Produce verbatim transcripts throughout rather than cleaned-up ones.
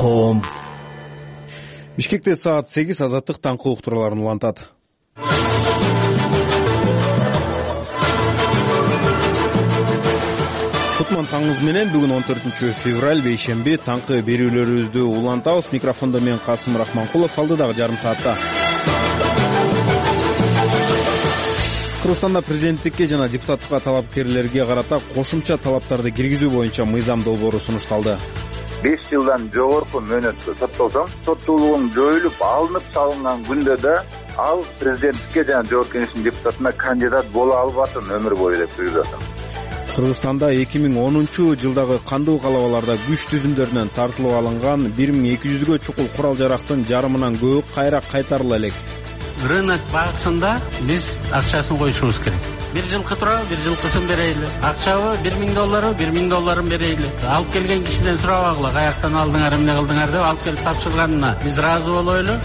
ком. Бишкекте саат сегиз азаттык таңкы уктурууларын улантат. Кутман таңыңыз менен бүгүн он төртүнчү февраль бейшемби таңкы берүүлөрүбүздү улантабыз. Микрофондо мен Касым Рахманкулов, алдыдагы жарым саатта. Кыргызстанда президенттикке жана депутаттыкка талапкерлерге карата кошумча талаптарды киргизүү боюнча мыйзам долбоору сунушталды. беш жылдан жогорку мөөнөткө соттолсоң, соттуулугуң жоюлуп, алынып салынган күндө да ал президенттикке жана жогорку кеңештин депутатына кандидат боло албасын өмүр бою деп буйрулат. Кыргызстанда эки миң онунчу жылдагы кандуу калабаларда күч түзүмдөрүнөн тартылып алынган бир миң эки жүзгө чукул курал жарактын жарымынан көбү кайра кайтарыла элек. Рынок багысында биз акчасын коюшубуз керек. Бир жылкы турабы, бир жылкысын берейли. Акчабы бир миң долларбы, бир миң долларын берейли. Алып келген кишиден сурабагыла, каяктан алдыңар, эмне кылдыңар деп алып келип тапшырганына биз ыраазы болойлу.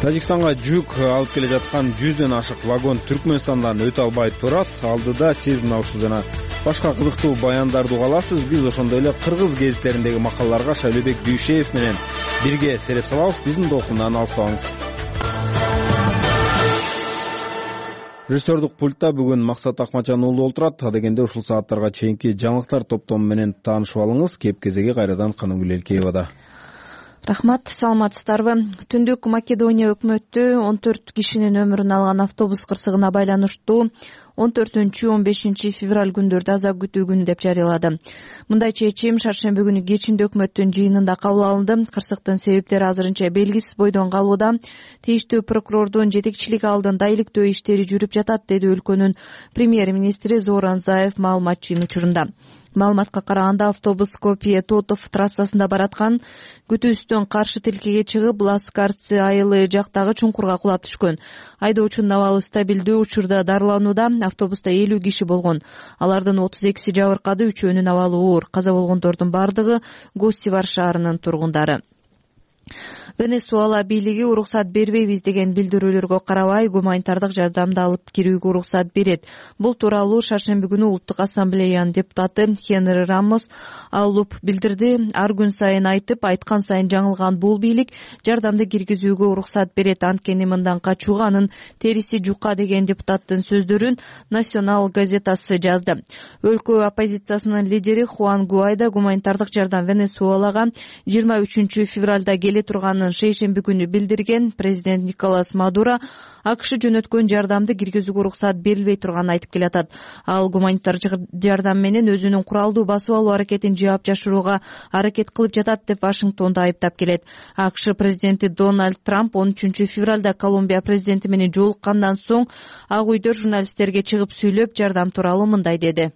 Тажикстанга жүк алып келе жаткан жүздөн ашык вагон Түркмөнстандан өтө албай турат. Алдыда сиз мына ушул жана башка кызыктуу баяндарды угаласыз. Биз ошондой эле кыргыз гезиттериндеги макалаларга Шайлебек Дүйшеев менен бирге сереп салабыз. Биздин толкундан алыстабаңыз. Режиссердук пультта бүгүн Максат Акмачан уулу олтурат. Адегенде ушул сааттарга чейинки жаңылыктар топтому менен таанышып алыңыз. Кеп кезеги кайрадан Каныгүл Элкеевада. Рахмат, саламатсыздарбы? Түндүк Македония өкмөтү он төрт кишинин өмүрүн алган автобус кырсыгына байланыштуу он төртүнчү он бешинчи февраль күндөрдө аза күтүү күнү деп жарыялады. Мындай чечим шаршемби күнү кечинде өкмөттүн жыйынында кабыл алынды. Кырсыктын себептери азырынча белгисиз бойдон калууда. Тийиштүү прокурордун жетекчилиги алдында иликтөө иштери жүрүп жатат, деди өлкөнүн премьер-министри Зоран Заев маалыматчынын учурунда. Маалыматка караганда автобус Скопье-Тотов трассасында бараткан. Күтүүстөн каршы тилкеге чыгып, Ласкарцы айылы жактагы чуңкурга кулап түшкөн. Айдоочунун абалы стабилдүү, учурда дарыланууда. Автобуста элүү киши болгон. Алардын отуз экиси жабыркады, үчөөнүн абалы оор. Каза болгондордун бардыгы Госсивар шаарынын тургундары. Венесуэла бийлиги уруксат бербейбиз деген билдирүүлөргө карабай гуманитардык жардамды алып кирүүгө уруксат берет. Бул тууралуу шаршемби күнү Улуттук ассамблеянын депутаты Хенри Рамос алып билдирди. Ар күн сайын айтып, айткан сайын жаңылган бул бийлик жардамды киргизүүгө уруксат берет. Анткени мындан качууга анын териси жука деген депутаттын сөздөрүн Национал газетасы жазды. Өлкө оппозициясынын лидери Хуан Гуайдо гуманитардык жардам Венесуэлага жыйырма үчүнчү февралда келе турганын шейшемби күнү билдирген. Президент Николас Мадуро АКШ жөнөткөн жардамды киргизүүгө уруксат берилбей турганын айтып келатат. Ал гуманитар жардам менен өзүнүн куралдуу басып алуу аракетин жаап жашырууга аракет кылып жатат деп Вашингтонду айыптап келет. АКШ президенти Дональд Трамп он үчүнчү февралда Колумбия президенти менен жолуккандан соң Ак үйдө журналисттерге чыгып сүйлөп, жардам тууралуу мындай деди.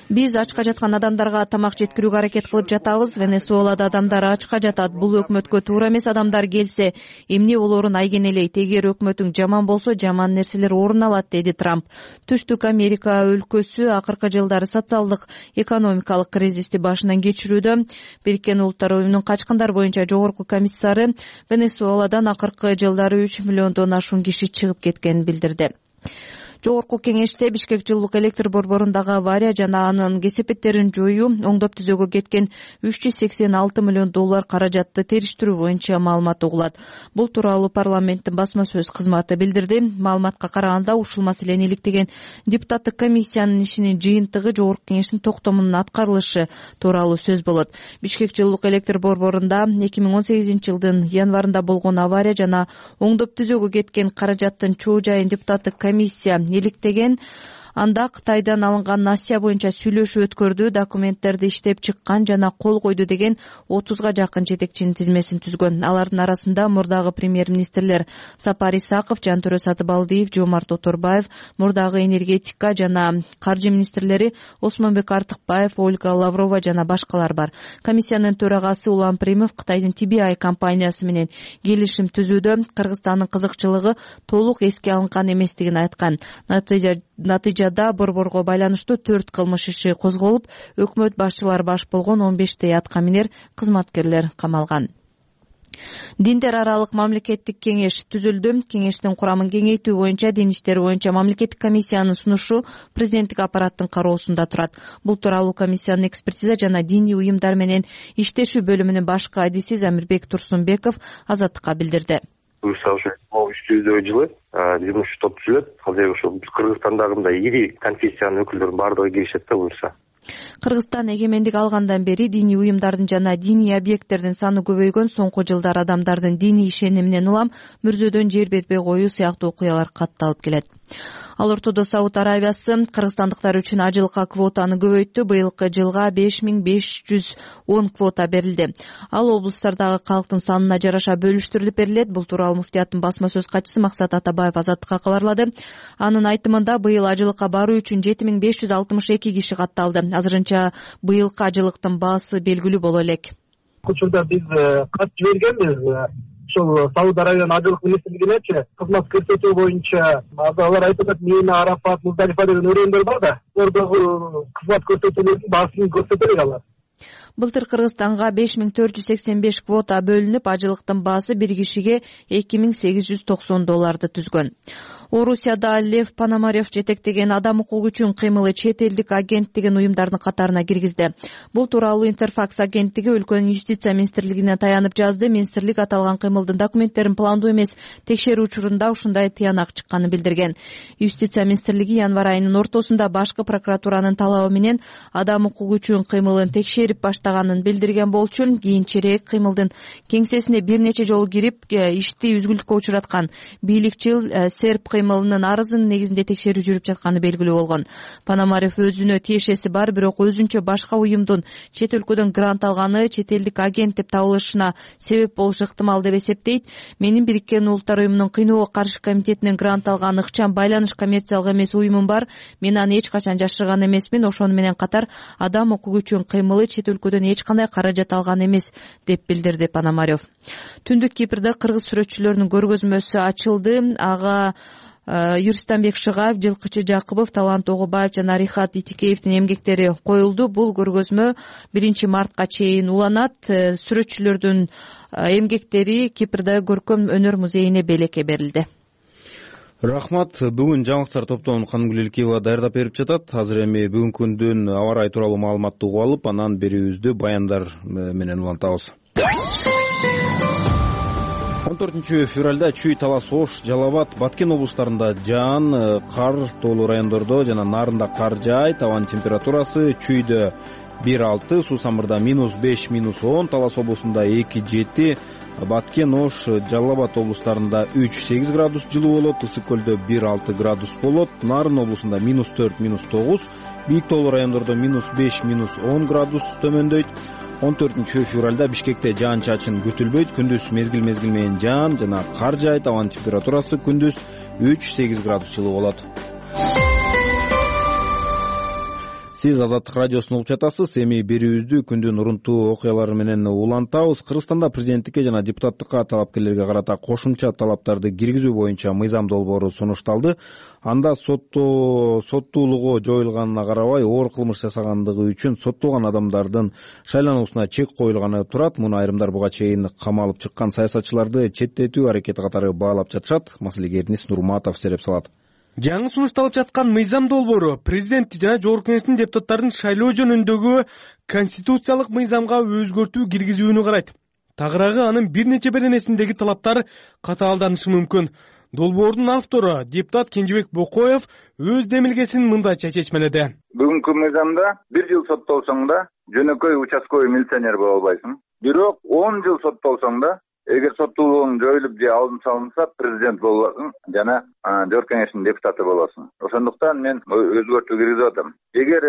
Биз ачка жаткан адамдарга тамак жеткирүүгө аракет кылып жатабыз. Венесуэлада адамдар ачка жатат. Бул өкмөткө туура эмес. Адамдар келсе, эмне болоорун айгенелейт. Эгер өкмөтүң жаман болсо, жаман нерселер орун алат, деди Трамп. Түштүк Америка өлкөсү акыркы жылдары социалдык экономикалык кризисти башынан кечирүүдө. Бириккен Улуттар уюмунун качкындар боюнча жогорку комиссары Венесуэладан акыркы жылдары үч миллиондон ашуун киши чыгып кеткенин билдирди. Жогорку кеңеште Бишкек жылуулук электр борборундагы авария жана анын кесепеттерин жоюу оңдоп түзөөгө кеткен үч жүз сексен алты миллион доллар каражатты териштирүү боюнча маалымат угулат. Бул тууралуу парламенттин басма сөз кызматы билдирди. Маалыматка караганда ушул маселени иликтеген депутаттык комиссиянын ишинин жыйынтыгы жогорку кеңештин токтомунун аткарылышы тууралуу сөз болот. Бишкек жылуулук электр борборунда эки миң он сегизинчи жылдын январында болгон авария жана оңдоп түзөөгө кеткен каражаттын чоо жайын депутаттык комиссия иликтеген. Анда Кытайдан алынган насия боюнча сүйлөшүү өткөрдү, документтерди иштеп чыккан жана кол койду деген отузга жакын жетекчинин тизмесин түзгөн. Алардын арасында мурдагы премьер-министрлер Сапар Исаков, Жантөрө Сатыбалдиев, Жомарт Оторбаев, мурдагы энергетика жана каржы министрлери Осмонбек Артыкбаев, Ольга Лаврова жана башкалар бар. Комиссиянын төрагасы Улан Примов Кытайдын Ти Би Ай компаниясы менен келишим түзүүдө Кыргызстандын кызыкчылыгы толук эске алынган эместигин айткан. Натыйжада борборго байланыштуу төрт кылмыш иши козголуп, өкмөт башчылары баш болгон он бештей аткаминер кызматкерлер камалган. Диндер аралык мамлекеттик кеңеш түзүлдү. Кеңештин курамын кеңейтүү боюнча дин иштери боюнча мамлекеттик комиссиянын сунушу президенттик аппараттын кароосунда турат. Бул тууралуу комиссиянын экспертиза жана диний уюмдар менен иштешүү бөлүмүнүн башкы адиси Замирбек Турсунбеков Азаттыкка билдирди. Буюрса ошо үч жүздөй жылы жумуш топ түзүлөт. Азыр ошо Кыргызстандагы мындай ири конфессиянын өкүлдөрүнүн баардыгы киришет да буюрса. Кыргызстан эгемендик алгандан бери диний уюмдардын жана диний объекттердин саны көбөйгөн. Соңку жылдары адамдардын диний ишениминен улам мүрзөдөн жер бербей коюу сыяктуу окуялар катталып келет. Ал ортодо Сауд Арабиясы кыргызстандыктар үчүн ажылыкка квотаны көбөйттү. Быйылкы жылга беш миң беш жүз он квота берилди. Ал облустардагы калктын санына жараша бөлүштүрүлүп берилет. Бул тууралуу муфтияттын басма сөз катчысы Максат Атабаев Азаттыкка кабарлады. Анын айтымында быйыл ажылыкка баруу үчүн жети миң беш жүз алтымыш эки киши катталды. Азырынча быйылкы ажылыктын баасы белгилүү боло элек. Учурда биз кат жибергенбиз. Ошол Сауд Арабиянын ажылык министрлигинечи кызмат көрсөтүү боюнча алар айтып атат, Мина, Арафат, Муздалифа деген өрөөндөр бар да, ордогу кызмат көрсөтүүлөрдүн баасын көрсөтө элек алар. Былтыр Кыргызстанга беш миң төрт жүз сексен беш квота бөлүнүп, ажылыктын баасы бир кишиге эки миң сегиз жүз токсон долларды түзгөн. Орусияда Лев Пономарев жетектеген адам укугу үчүн кыймылы чет элдик агент деген уюмдардын катарына киргизди. Бул тууралуу Интерфакс агенттиги өлкөнүн юстиция министрлигине таянып жазды. Министрлик аталган кыймылдын документтерин пландуу эмес текшерүү учурунда ушундай тыянак чыкканын билдирген. Юстиция министрлиги январь айынын ортосунда башкы прокуратуранын талабы менен адам укугу үчүн кыймылын текшерип баштаганын билдирген болчу. Кийинчерээк кыймылдын кеңсесине бир нече жолу кирип ишти үзгүлтүккө учураткан бийликчил серб кыймылынын арызынын негизинде текшерүү жүрүп жатканы белгилүү болгон. Пономарев өзүнө тиешеси бар, бирок өзүнчө башка уюмдун чет өлкөдөн грант алганы чет элдик агент деп табылышына себеп болушу ыктымал деп эсептейт. Менин Бириккен Улуттар уюмунун кыйноого каршы комитетинен грант алган ыкчам байланыш коммерциялык эмес уюмум бар. Мен аны эч качан жашырган эмесмин. Ошону менен катар адам укугу үчүн кыймылы чет өлкөдөн эч кандай каражат алган эмес деп билдирди Пономарев. Түндүк Кипрде кыргыз сүрөтчүлөрүнүн көргөзмөсү ачылды. Ага Юристанбек Шыгаев, Жылкычы Жакыбов, Талант Огубаев жана Рихат Итикеевдин эмгектери коюлду. Бул көргөзмө биринчи мартка чейин уланат. Сүрөтчүлөрдүн эмгектери Кипрдеги көркөм өнөр музейине белекке берилди. Рахмат. Бүгүн жаңылыктар топтомун Канымгүл Илкеева даярдап берип жатат. Азыр эми бүгүнкү күндүн аба ырайы тууралуу маалыматты угуп алып, анан берүүбүздү баяндар менен улантабыз. он төртүнчү февралда Чүй, Талас, Ош, Жалал Абад, Баткен облустарында жаан, кар, тоолуу райондордо жана нарында кар жаайт. Абанын температурасы Чүйдө бир алты, Суусамырда минус беш, минус он, Талас облусунда эки жети, Баткен, Ош, Жалал Абад облустарында үч сегиз градус жылуу болот, Ысык көлдө бир алты градус болот, Нарын облусунда минус төрт, минус тогуз, бийик тоолуу райондордо минус беш, минус он градус төмөндөйт. он төртүнчү февралда Бишкекте жаан-чачын күтүлбөйт. Күндүз мезгил-мезгил менен жаан жана кар жаайт. Абанын температурасы күндүз үч сегиз градус жылуу болот. Сиз Азаттык радиосун угуп жатасыз. Эми берүүбүздү күндүн урунтуу окуялары менен улантабыз. Кыргызстанда президенттикке жана депутаттыкка талапкерлерге карата кошумча талаптарды киргизүү боюнча мыйзам долбоору сунушталды. Анда соттоо соттуулугу жоюлганына карабай, оор кылмыш жасагандыгы үчүн соттолгон адамдардын шайлануусуна чек коюлганы турат. Муну айрымдар буга чейин камалып чыккан саясатчыларды четтетүү аракети катары баалап жатышат. Маселеге Эрнис Нурматов сереп салат. Жаңы сунушталып жаткан мыйзам долбоору президент жана Жогорку Кеңештин депутаттарын шайлоо жөнүндөгү конституциялык мыйзамга өзгөртүү киргизүүнү карайт. Тагыраагы анын бир нече беренесиндеги талаптар катаалданышы мүмкүн. Долбоордун автору депутат Кенжебек Бокоев өз демилгесин мындайча чечмеледи. Бүгүнкү мыйзамда бир жыл соттолсоң да жөнөкөй участковый милиционер боло албайсың. Бирок он жыл соттолсоң да эгер соттуулугуң жоюлуп же алдын салынса президент болосуң жана Жогорку Кеңештин депутаты болосуң. Ошондуктан мен өзгөртүү киргизип атам. Эгер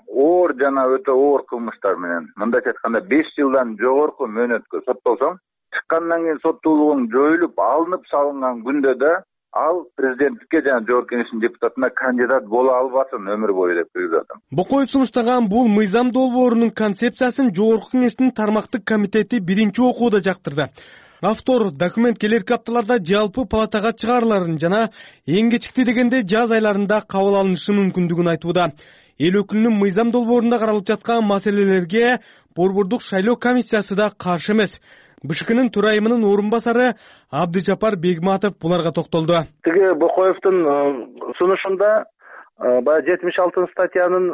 оор жана өтө оор кылмыштар менен, мындайча айтканда беш жылдан жогорку мөөнөткө соттолсоң, чыккандан кийин соттуулугуң жоюлуп, алынып салынган күндө да ал президенттикке жана Жогорку Кеңештин депутатына кандидат боло албасын өмүр бою деп киргизип атам. Бокоев сунуштаган бул мыйзам долбоорунун концепциясын Жогорку Кеңештин тармактык комитети биринчи окууда жактырды. Автор документ келерки апталарда жалпы палатага чыгарыларын жана эң кечикти дегенде жаз айларында кабыл алынышы мүмкүндүгүн айтууда. Эл өкүлүнүн мыйзам долбоорунда каралып жаткан маселелерге Борбордук шайлоо комиссиясы да каршы эмес. БШКнын төрайымынын орун басары Абдыжапар Бегматов буларга токтолду. Тиги Бокоевдун сунушунда баягы жетимиш алтынчы статьянын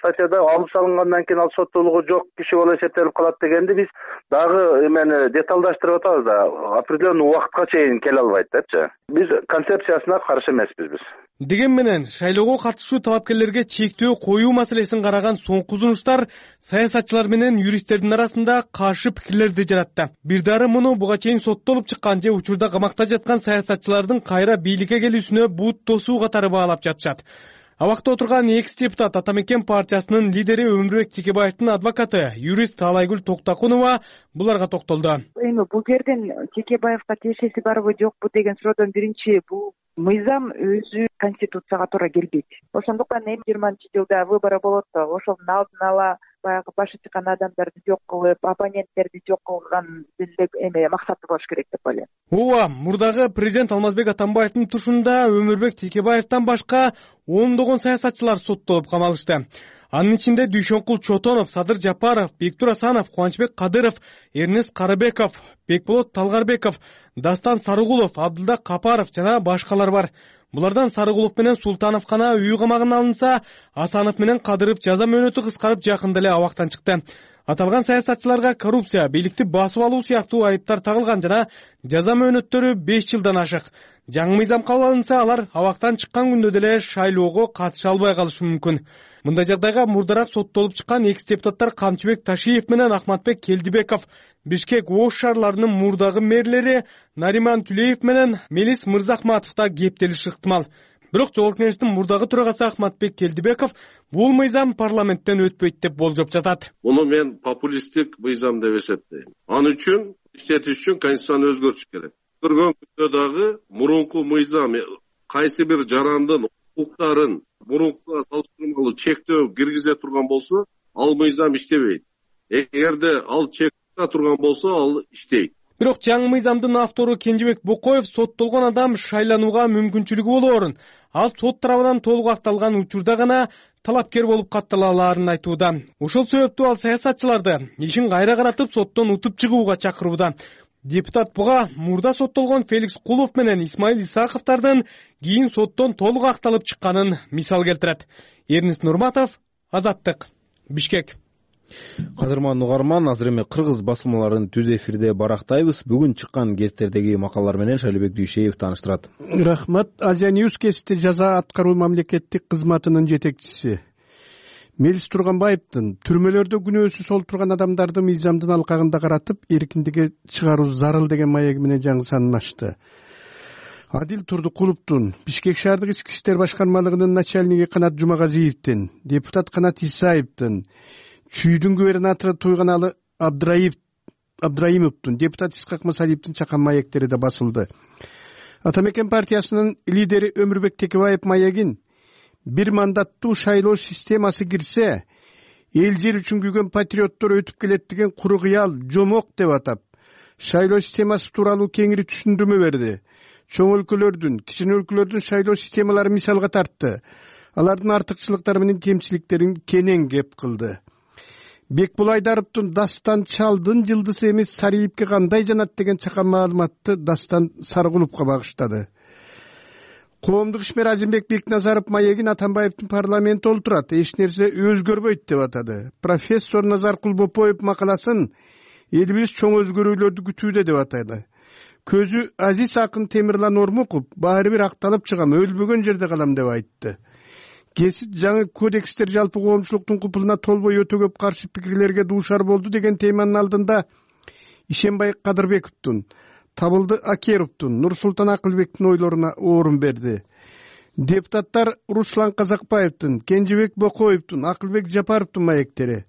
статьяда алып салынгандан кийин ал соттуулугу жок киши болуп эсептелип калат дегенди биз дагы эмени деталдаштырып атабыз да, определенный убакытка чейин келе албайт депчи. Биз концепциясына каршы эмеспиз биз. Деген менен шайлоого катышуу талапкерлерге чектөө коюу маселесин караган соңку сунуштар саясатчылар менен юристтердин арасында каршы пикирлерди жаратты. Бир дары муну буга чейин соттолуп чыккан же учурда камакта жаткан саясатчылардын кайра бийликке келүүсүнө бут тосуу катары баалап жатышат. Абакта отурган экс-депутат Ата Мекен партиясынын лидери Өмүрбек Текебаевдин адвокаты, юрист Талайгүл Токтакунова буларга токтолду. Эми бул жерден Текебаевга тиешеси барбы жокпу деген суроодон биринчи, бул мыйзам өзү конституцияга туура келбейт. Ошондуктан эми жыйырманчы жылда выборы болот, ошонун алдын ала баягы башы чыккан адамдарды жок кылып, оппоненттерди жок кылган эме максаты болуш керек деп ойлойм. Ооба, мурдагы президент Алмазбек Атамбаевдин тушунда Өмүрбек Текебаевден башка ондогон саясатчылар соттолуп камалышты. Анын ичинде Дүйшөнкул Чотонов, Садыр Жапаров, Бектур Асанов, Кубанычбек Кадыров, Эрнест Карыбеков, Бекболот Талгарбеков, Дастан Сарыгулов, Абдылда Капаров жана башкалар бар. Булардан Сарыгулов менен Султанов гана үй камагына алынса, Асанов менен Кадыров жаза мөөнөтү кыскарып жакында эле абактан чыкты. Аталган саясатчыларга коррупция, бийликти басып алуу сыяктуу айыптар тагылган жана жаза мөөнөттөрү беш жылдан ашык. Жаңы мыйзам кабыл алынса, алар абактан чыккан күндө деле шайлоого катыша албай калышы мүмкүн. Мындай жагдайга мурдарак соттолуп чыккан экс-депутаттар Камчыбек Ташиев менен Ахматбек Келдибеков, Бишкек Ош шаарларынын мурдагы мэрлери Нариман Түлеев менен Мелис Мырзахматов да кептелиши ыктымал. Бирок Жогорку Кеңештин мурдагы төрагасы Ахматбек Келдибеков бул мыйзам парламенттен өтпөйт деп болжоп жатат. Муну мен популисттик мыйзам деп эсептейм. Аны үчүн иштетиш үчүн конституцияны өзгөртүш керек. Көргөн күндө дагы мурунку мыйзам кайсы бир жарандын укуктарын мурункуга салыштырмалуу чектөө киргизе турган болсо, ал мыйзам иштебейт. Эгерде ал чектөө турган болсо, ал иштейт. Бирок жаңы мыйзамдын автору Кенжебек Бокоев соттолгон адам шайланууга мүмкүнчүлүгү болоорун, ал сот тарабынан толук акталган учурда гана талапкер болуп каттала алаарын айтууда. Ошол себептүү ал саясатчыларды ишин кайра каратып соттон утуп чыгууга чакырууда. Депутат буга мурда соттолгон Феликс Кулов менен Исмаил Исаковдордун кийин соттон толук акталып чыкканын мисал келтирет. Эрнест Нурматов, Азаттык, Бишкек. Кадырман угарман, азыр эми кыргыз басылмаларын түз эфирде барактайбыз. Бүгүн чыккан гезиттердеги макалалар менен Шайлообек Дүйшеев тааныштырат. Рахмат. Азия Ньюс гезити жаза аткаруу мамлекеттик кызматынын жетекчиси Мелис Турганбаевдин түрмөлөрдө күнөөсүз олтурган адамдарды мыйзамдын алкагында каратып эркиндикке чыгаруу зарыл деген маеги менен жаңы санын ачты. Адил Турдукуловдун, Бишкек шаардык ички иштер башкармалыгынын начальниги Канат Жумагазиевдин, депутат Канат Исаевдин, Чүйдүн губернатору Туйганалы Абдраев Абдраимовдун, депутат Исхак Масалиевдин чакан маектери да басылды. Ата Мекен партиясынын лидери Өмүрбек Текебаев маегин бир мандаттуу шайлоо системасы кирсе, эл жер үчүн күйгөн патриоттор өтүп келет деген куру кыял, жомок деп атап, шайлоо системасы тууралуу кеңири түшүндүрмө берди. Чоң өлкөлөрдүн, кичине өлкөлөрдүн шайлоо системалары мисалга тартты. Алардын артыкчылыктары менен кемчиликтерин кенен кеп кылды. Бекбол Айдаровдун Дастан Чалдын жылдызы эмес Сариевке кандай жанат деген чакан маалыматты Дастан Сарыгуловго багыштады. Коомдук ишмер Азимбек Бекназаров маегин Атамбаевдин парламентте олтурат, эч нерсе өзгөрбөйт деп атады. Профессор Назаркул Бопоев макаласын элибиз чоң өзгөрүүлөрдү күтүүдө деп атады. Көзү Азиз акын Темирлан Ормуков баары бир акталып чыгам, өлбөгөн жерде калам деп айтты. Кесип жаңы кодекстер жалпы коомчулуктун купулуна толбой өтө көп каршы пикирлерге дуушар болду деген теманын алдында Ишенбай Кадырбековдун, Табылды Акеровдун, Нурсултан Акылбектин ойлоруна орун берди. Депутаттар Руслан Казакбаевдин, Кенжебек Бокоевдун, Акылбек Жапаровдун маектери,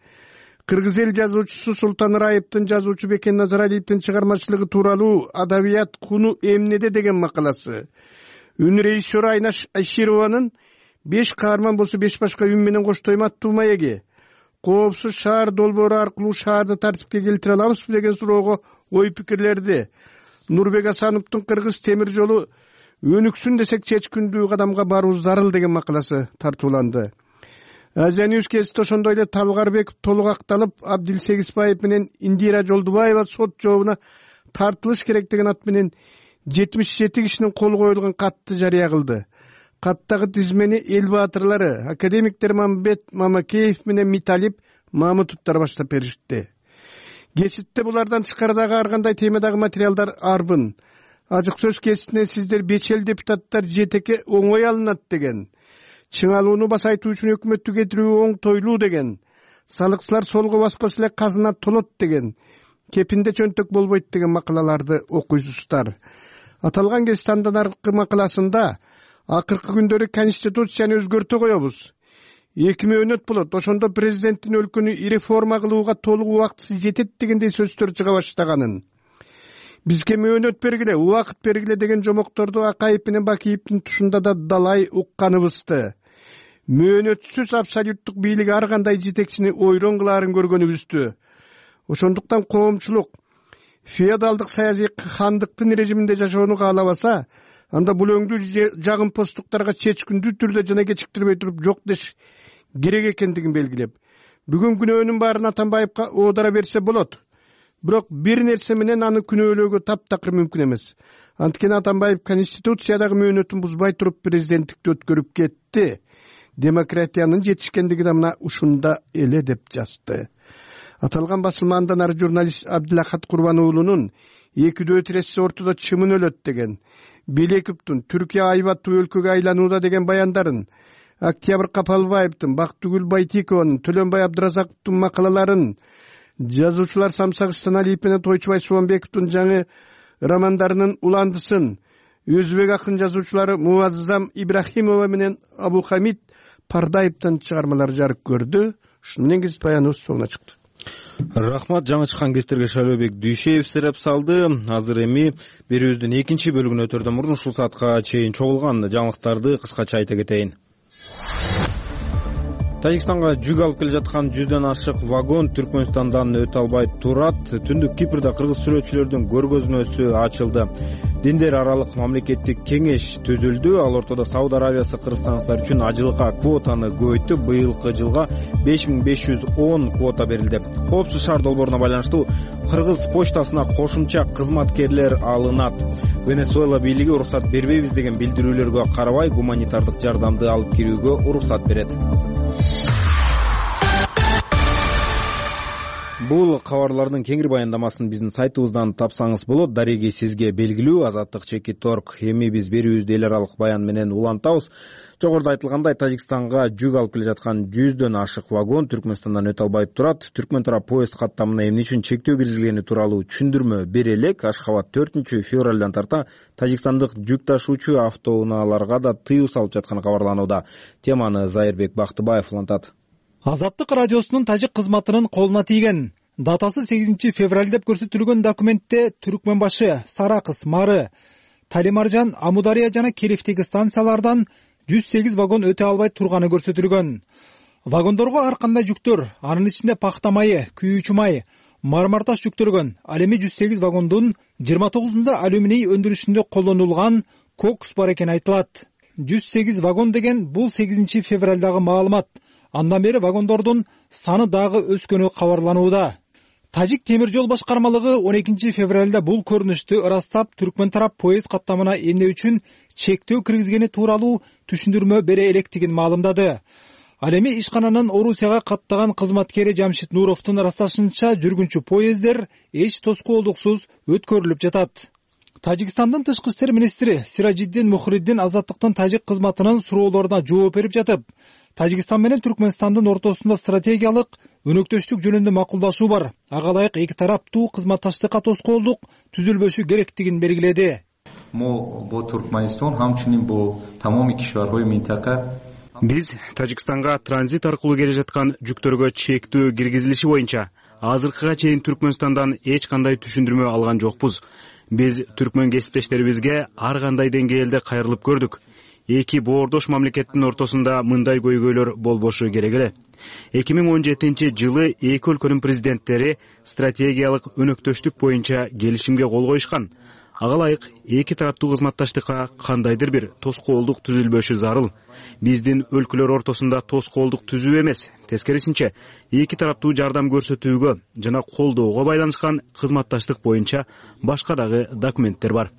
Кыргыз эл жазуучусу Султан Раевдин, жазуучу Бекен Назаралиевдин чыгармачылыгы тууралуу Адабият куну эмнеде деген макаласы, үн режиссеру Айнаш Айшированын беш каарман болсо беш башка үн менен коштойм аттуу маеги, коопсуз шаар долбоору аркылуу шаарды тартипке келтире алабызбы деген суроого ой пикирлерди. Нурбек Асановдун Кыргыз темир жолу өнүксүн десек чечкиндүү кадамга баруу зарыл деген макаласы тартууланды. Азия Ньюс кести ошондой эле Талгарбеков толук акталып, Абдилсегизбаев менен Индира Жолдубаева сот жообуна тартылыш керек деген ат менен жетимиш жети кишинин колу коюлган катты жарыя кылды. Каттагы тизмени эл баатырлары, академиктер Мамбет Мамакеев менен Миталип Мамутовдор баштап беришти. Кеситте булардан тышкары дагы ар кандай темадагы материалдар арбын. Ажык сөз кеситинен сиздер бечел депутаттар жетеке оңой алынат деген, чыңалууну басайтуу үчүн өкмөттү кетирүү оңтойлуу деген, салыкчылар солго баспаса эле казына толот деген, кепинде чөнтөк болбойт деген макалаларды окуйсуздар. Аталган кеситтин андан аркы макаласында акыркы күндөрү конституцияны өзгөртө коебуз. эки мөөнөт болот. Ошондо президенттин өлкөнү реформа кылууга толук убактысы жетет дегендей сөздөр чыга баштаганын. Бизге мөөнөт бергиле, убакыт бергиле деген жомокторду Акаев менен Бакиевдин тушунда да далай укканыбызды. Мөөнөтсүз абсолюттук бийлик ар кандай жетекчини ойрон кылаарын көргөнүбүздү. Ошондуктан коомчулук феодалдык саясий хандыктын режиминде жашоону каалабаса, анда бул өңдүү жагымпоздуктарга чечкиндүү түрдө жана кечиктирбей туруп жок деш керек экендигин белгилеп, бүгүн күнөөнүн баарын Атамбаевка оодара берсе болот. Бирок бир нерсе менен аны күнөөлөөгө таптакыр мүмкүн эмес. Анткени Атамбаев конституциядагы мөөнөтүн бузбай туруп президенттикти өткөрүп кетти. Демократиянын жетишкендиги да мына ушунда эле деп жазды. Аталган басылма андан ары журналист Абдилахат Курбан уулунун экидөө тирешсе ортодо чымын өлөт деген, Белековдун Түркия айбаттуу өлкөгө айланууда деген баяндарын, Октябрь Капалбаевдин, Бактыгүл Байтикованын, Төлөнбай Абдыразаковдун макалаларын, жазуучулар Самсагыстан Алиев менен Тойчубай Субанбековдун жаңы романдарынын уландысын, өзбек акын жазуучулары Муаззам Ибрахимова менен Абухамид Пардаевдин чыгармалары жарык көрдү. Ушуну менен кесип баяныбыз соңуна чыкты. Рахмат, жаңы чыккан кестерге Шайлообек Дүйшеев сереп салды. Азыр эми берүүбүздүн экинчи бөлүгүнө өтөрдөн мурун ушул саатка чейин чогулган жаңылыктарды кыскача айта кетейин. Тажикстанга жүк алып келе жаткан жүздөн ашык вагон Түркмөнстандан өтө албай турат. Түндүк Кипрде кыргыз сүрөтчүлөрдүн көргөзмөсү ачылды. Диндер аралык мамлекеттик кеңеш түзүлдү. Ал ортодо Сауд Арабиясы кыргызстандыктар үчүн ажылыкка квотаны көбөйтүп, быйылкы жылга беш миң беш жүз он квота берилди. Коопсуз шаар долбооруна байланыштуу кыргыз почтасына кошумча кызматкерлер алынат. Венесуэла бийлиги уруксат бербейбиз деген билдирүүлөргө карабай гуманитардык жардамды алып кирүүгө уруксат берет. Бул кабарлардын кеңири баяндамасын биздин сайтыбыздан тапсаңыз болот. Дареги сизге белгилүү Азаттык чекит торг. Эми биз берүүбүздү эл аралык баян менен улантабыз. Жогоруда айтылгандай, Тажикстанга жүк алып келе жаткан жүздөн ашык вагон Түркмөнстандан өтө албай турат. Түркмөн тарап поезд каттамына эмне үчүн чектөө киргизилгени тууралуу түшүндүрмө бере элек. Ашхабад төртүнчү февралдан тарта Тажикстандык жүк ташуучу автоунааларга да тыюу салып жатканы кабарланууда. Теманы Зайырбек Бактыбаев улантат. Азаттык радиосунун тажик кызматынын колуна тийген. Датасы сегизинчи февраль деп көрсөтүлгөн документте Түркмөн башы, Саракыс, Мары, Талимаржан, Амудария жана Керифтеги станциялардан жүз сегиз вагон өтө албай турганы көрсөтүлгөн. Вагондорго ар кандай жүктөр, анын ичинде пахта майы, күйүүчү май, мармарташ жүктөлгөн. Ал эми жүз сегиз вагондун жыйырма тогузунда алюминий өндүрүшүндө колдонулган кокс бар экени айтылат. жүз сегиз вагон деген бул сегизинчи февралдагы маалымат. Андан бери вагондордун саны дагы өскөнү кабарланууда. Тажик темир жол башкармалыгы он экинчи февралда бул көрүнүштү ырастап, Түркмөн тарап поезд каттамына эмне үчүн чектөө киргизгени тууралуу түшүндүрмө бере электигин маалымдады. Ал эми ишкананын Орусияга каттаган кызматкери Жамшит Нуровдун ырасташынча, жүргүнчү поезддер эч тоскоолдуксуз өткөрүлүп жатат. Тажикстандын тышкы иштер министри Сиражиддин Мухриддин Азаттыктын тажик кызматынын суроолоруна жооп берип жатып, Тажикстан менен Түркмөнстандын ортосунда стратегиялык өнөктөштүк жөнүндө макулдашуу бар. Ага ылайык эки тараптуу кызматташтыкка тоскоолдук түзүлбөшү керектигин белгиледи. Биз Тажикстанга транзит аркылуу келе жаткан жүктөргө чектөө киргизилиши боюнча азыркыга чейин Түркмөнстандан эч кандай түшүндүрмө алган жокпуз. Биз түркмөн кесиптештерибизге ар кандай деңгээлде кайрылып көрдүк. Эки боордош мамлекеттин ортосунда мындай көйгөйлөр болбошу керек эле. эки миң он жетинчи жылы эки өлкөнүн президенттери стратегиялык өнөктөштүк боюнча келишимге кол коюшкан. ага ылайык эки тараптуу кызматташтыкка кандайдыр бир тоскоолдук түзүлбөшү зарыл. Биздин өлкөлөр ортосунда тоскоолдук түзүү эмес, тескерисинче эки тараптуу жардам көрсөтүүгө жана колдоого байланышкан кызматташтык боюнча башка дагы документтер бар.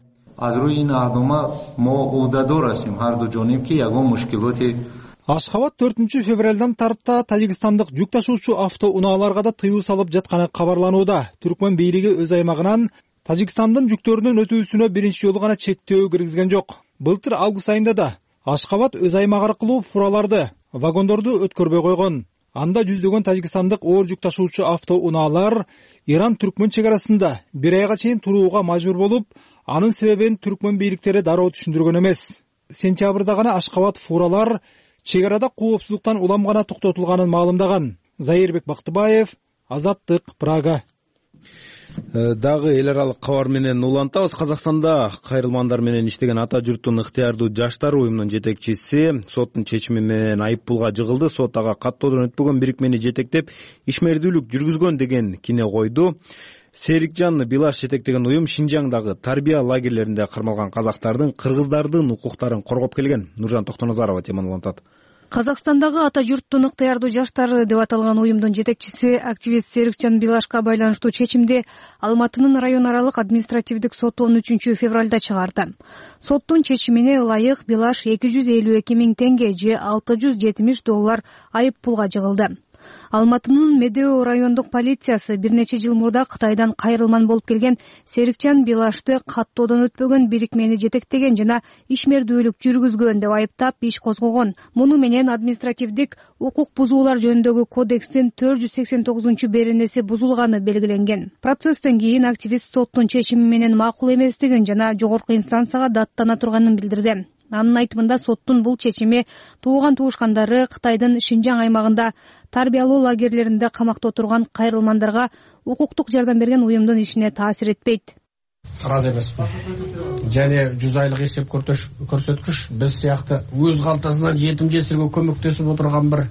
Ашхабад төртүнчү февралдан тарта Тажикстандык жүк ташуучу автоунааларга да тыюу салып жатканы кабарланууда. Түркмөн бийлиги өз аймагынан Тажикстандын жүктөрүнүн өтүүсүнө биринчи жолу гана чектөө киргизген жок. Былтыр август айында да Ашхабад өз аймагы аркылуу фураларды, вагондорду өткөрбөй койгон. Анда жүздөгөн тажикстандык оор жүк ташуучу автоунаалар Иран-Түркмөн чек арасында бир айга чейин турууга мажбур болуп, анын себебин түркмөн бийликтери дароо түшүндүргөн эмес. Сентябрда гана Ашхабад фуралар чек арада коопсуздуктан улам гана токтотулганын маалымдаган. Заирбек Бактыбаев, Азаттык, Прага. Дагы эл аралык кабар менен улантабыз. Казакстанда кайрылмандар менен иштеген Ата журттун ыктыярдуу жаштар уюмунун жетекчиси соттун чечими менен айыппулга жыгылды. Сот ага каттоодон өтпөгөн бирикмени жетектеп ишмердүүлүк жүргүзгөн деген кине койду. Серикжан Билаш жетектеген уюм Шинжаңдагы тарбия лагерлеринде кармалган казактардын, кыргыздардын укуктарын коргоп келген. Нуржан Токтоназарова теманы улантат. Казакстандагы Ата журттун ыктыярдуу жаштары деп аталган уюмдун жетекчиси активист Серикжан Билашка байланыштуу чечимди Алматынын район аралык административдик соту он үчүнчү февралда чыгарды. Соттун чечимине ылайык Билаш эки жүз элүү эки миң теңге же алты жүз жетимиш доллар айыппулга жыгылды. Алматынын Медео райондук полициясы бир нече жыл мурда Кытайдан кайрылман болуп келген Серикжан Билашты каттоодон өтпөгөн бирикмени жетектеген жана ишмердүүлүк жүргүзгөн деп айыптап иш козгогон. Муну менен административдик укук бузуулар жөнүндөгү кодекстин төрт жүз сексен тогузунчу беренеси бузулганы белгиленген. Процесстен кийин активист соттун чечими менен макул эместигин жана жогорку инстанцияга даттана турганын билдирди. Анын айтымында соттун бул чечими тууган туушкандары Кытайдын Шинжаң аймагында тарбиялоо лагерлеринде камакта отурган кайрылмандарга укуктук жардам берген уюмдун ишине таасир этпейт. Ыраазы эмесмин. Және жүз айлык эсеп көрсөткүч биз сыяктуу өз калтасынан жетим жесирге көмөктөсүп отурган бир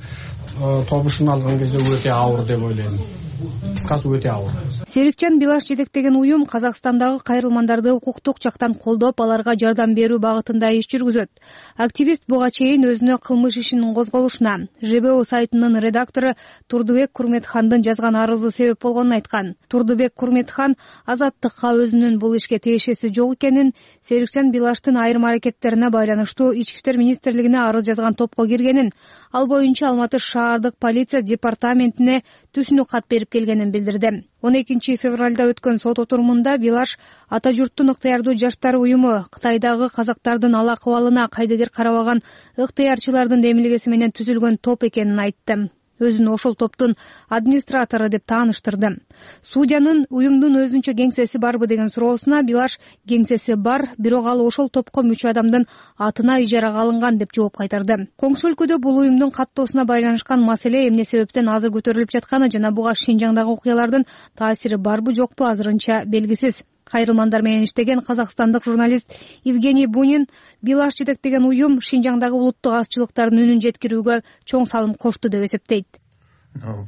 тобушун алган кезде өтө ауыр деп ойлойм. Кыскасы өтө ауыр. Серикжан Билаш жетектеген уюм Казакстандагы кайрылмандарды укуктук жактан колдоп, аларга жардам берүү багытында иш жүргүзөт. Активист буга чейин өзүнө кылмыш ишинин козголушуна ЖБО сайтынын редактору Турдубек Курметхандын жазган арызы себеп болгонун айткан. Турдубек Курметхан Азаттыкка өзүнүн бул ишке тиешеси жок экенин, Серикжан Билаштын айрым аракеттерине байланыштуу Ички иштер министрлигине арыз жазган топко киргенин, ал боюнча Алматы шаардык полиция департаментине түшүнүк кат берип келгенин билдирди. он экинчи февралда өткөн сот отурумунда Билаш Ата журттун ыктыярдуу жаштар уюму Кытайдагы казактардын ал акыбалына кайдыгер карабаган ыктыярчылардын демилгеси менен түзүлгөн топ экенин айтты. Өзүн ошол топтун администратору деп тааныштырды. Судьянын уюмдун өзүнчө кеңсеси барбы деген суроосуна Билаш кеңсеси бар, бирок ал ошол топко мүчө адамдын атына ижарага алынган деп жооп кайтарды. Коңшу өлкөдө бул уюмдун каттоосуна байланышкан маселе эмне себептен азыр көтөрүлүп жатканы жана буга Шинжаңдагы окуялардын таасири барбы жокпу азырынча белгисиз. Кайрылмандар менен иштеген казакстандык журналист Евгений Бунин Билаш жетектеген уюм Шинжаңдагы улуттук азчылыктардын үнүн жеткирүүгө чоң салым кошту деп эсептейт.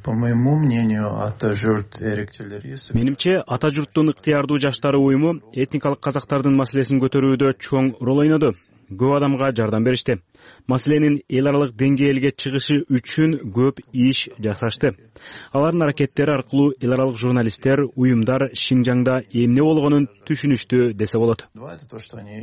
По моему мнению, Ата журт эректелери. Менимче, Ата журттун ыктыярдуу жаштары уюму этникалык казактардын маселесин көтөрүүдө чоң рол ойноду. Көп адамга жардам беришти. Маселенин эл аралык деңгээлге чыгышы үчүн көп иш жасашты. Алардын аракеттери аркылуу эл аралык журналисттер, уюмдар Шинжаңда эмне болгонун түшүнүштү десе болот.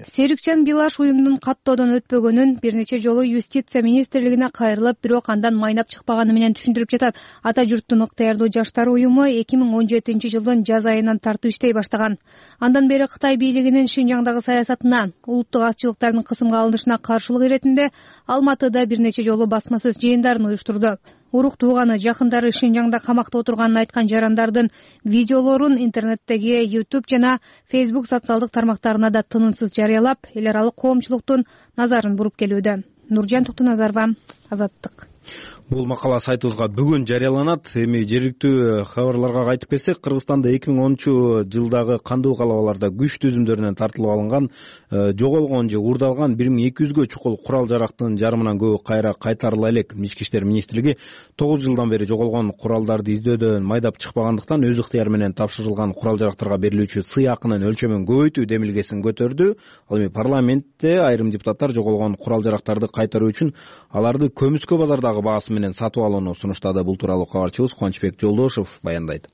Серикжан Билаш уюмдун каттоодон өтпөгөнүн бир нече жолу юстиция министрлигине кайрылып, бирок андан майнап чыкпаганы менен түшүндүрүп жатат. Ата журттун ыктыярдуу жаштар уюму эки миң он жетинчи жылдын жаз айынан тартып иштей баштаган. Андан бери Кытай бийлигинин Шинжаңдагы саясатына, улуттук азчылыктардын кысымга алынышына каршылык иретинде Алматыда бир нече жолу басма сөз жыйындарын уюштурду. Урук тууганы, жакындары Шинжаңда камакта отурганын айткан жарандардын видеолорун интернеттеги YouTube жана Facebook социалдык тармактарына да тынымсыз жарыялап, эл аралык коомчулуктун назарын буруп келүүдө. Нуржан Токтоназарова, Азаттык. Бул макала сайтыбызга бүгүн жарыяланат. Эми жергиликтүү кабарларга кайтып келсек, Кыргызстанда эки миң онунчу жылдагы кандуу калабаларда күч түзүмдөрүнөн тартылып алынган, жоголгон же уурдалган бир миң эки жүзгө чукул курал жарактын жарымынан көбү кайра кайтарыла элек. Ички иштер министрлиги тогуз жылдан бери жоголгон куралдарды издөөдөн майдап чыкпагандыктан өз ыктыяры менен тапшырылган курал жарактарга берилүүчү сый акынын өлчөмүн көбөйтүү демилгесин көтөрдү. Ал эми парламентте айрым депутаттар жоголгон курал жарактарды кайтаруу үчүн аларды көмүскө базардагы баасы менен сатып алууну сунуштады. Бул тууралуу кабарчыбыз Кубанычбек Жолдошев баяндайт.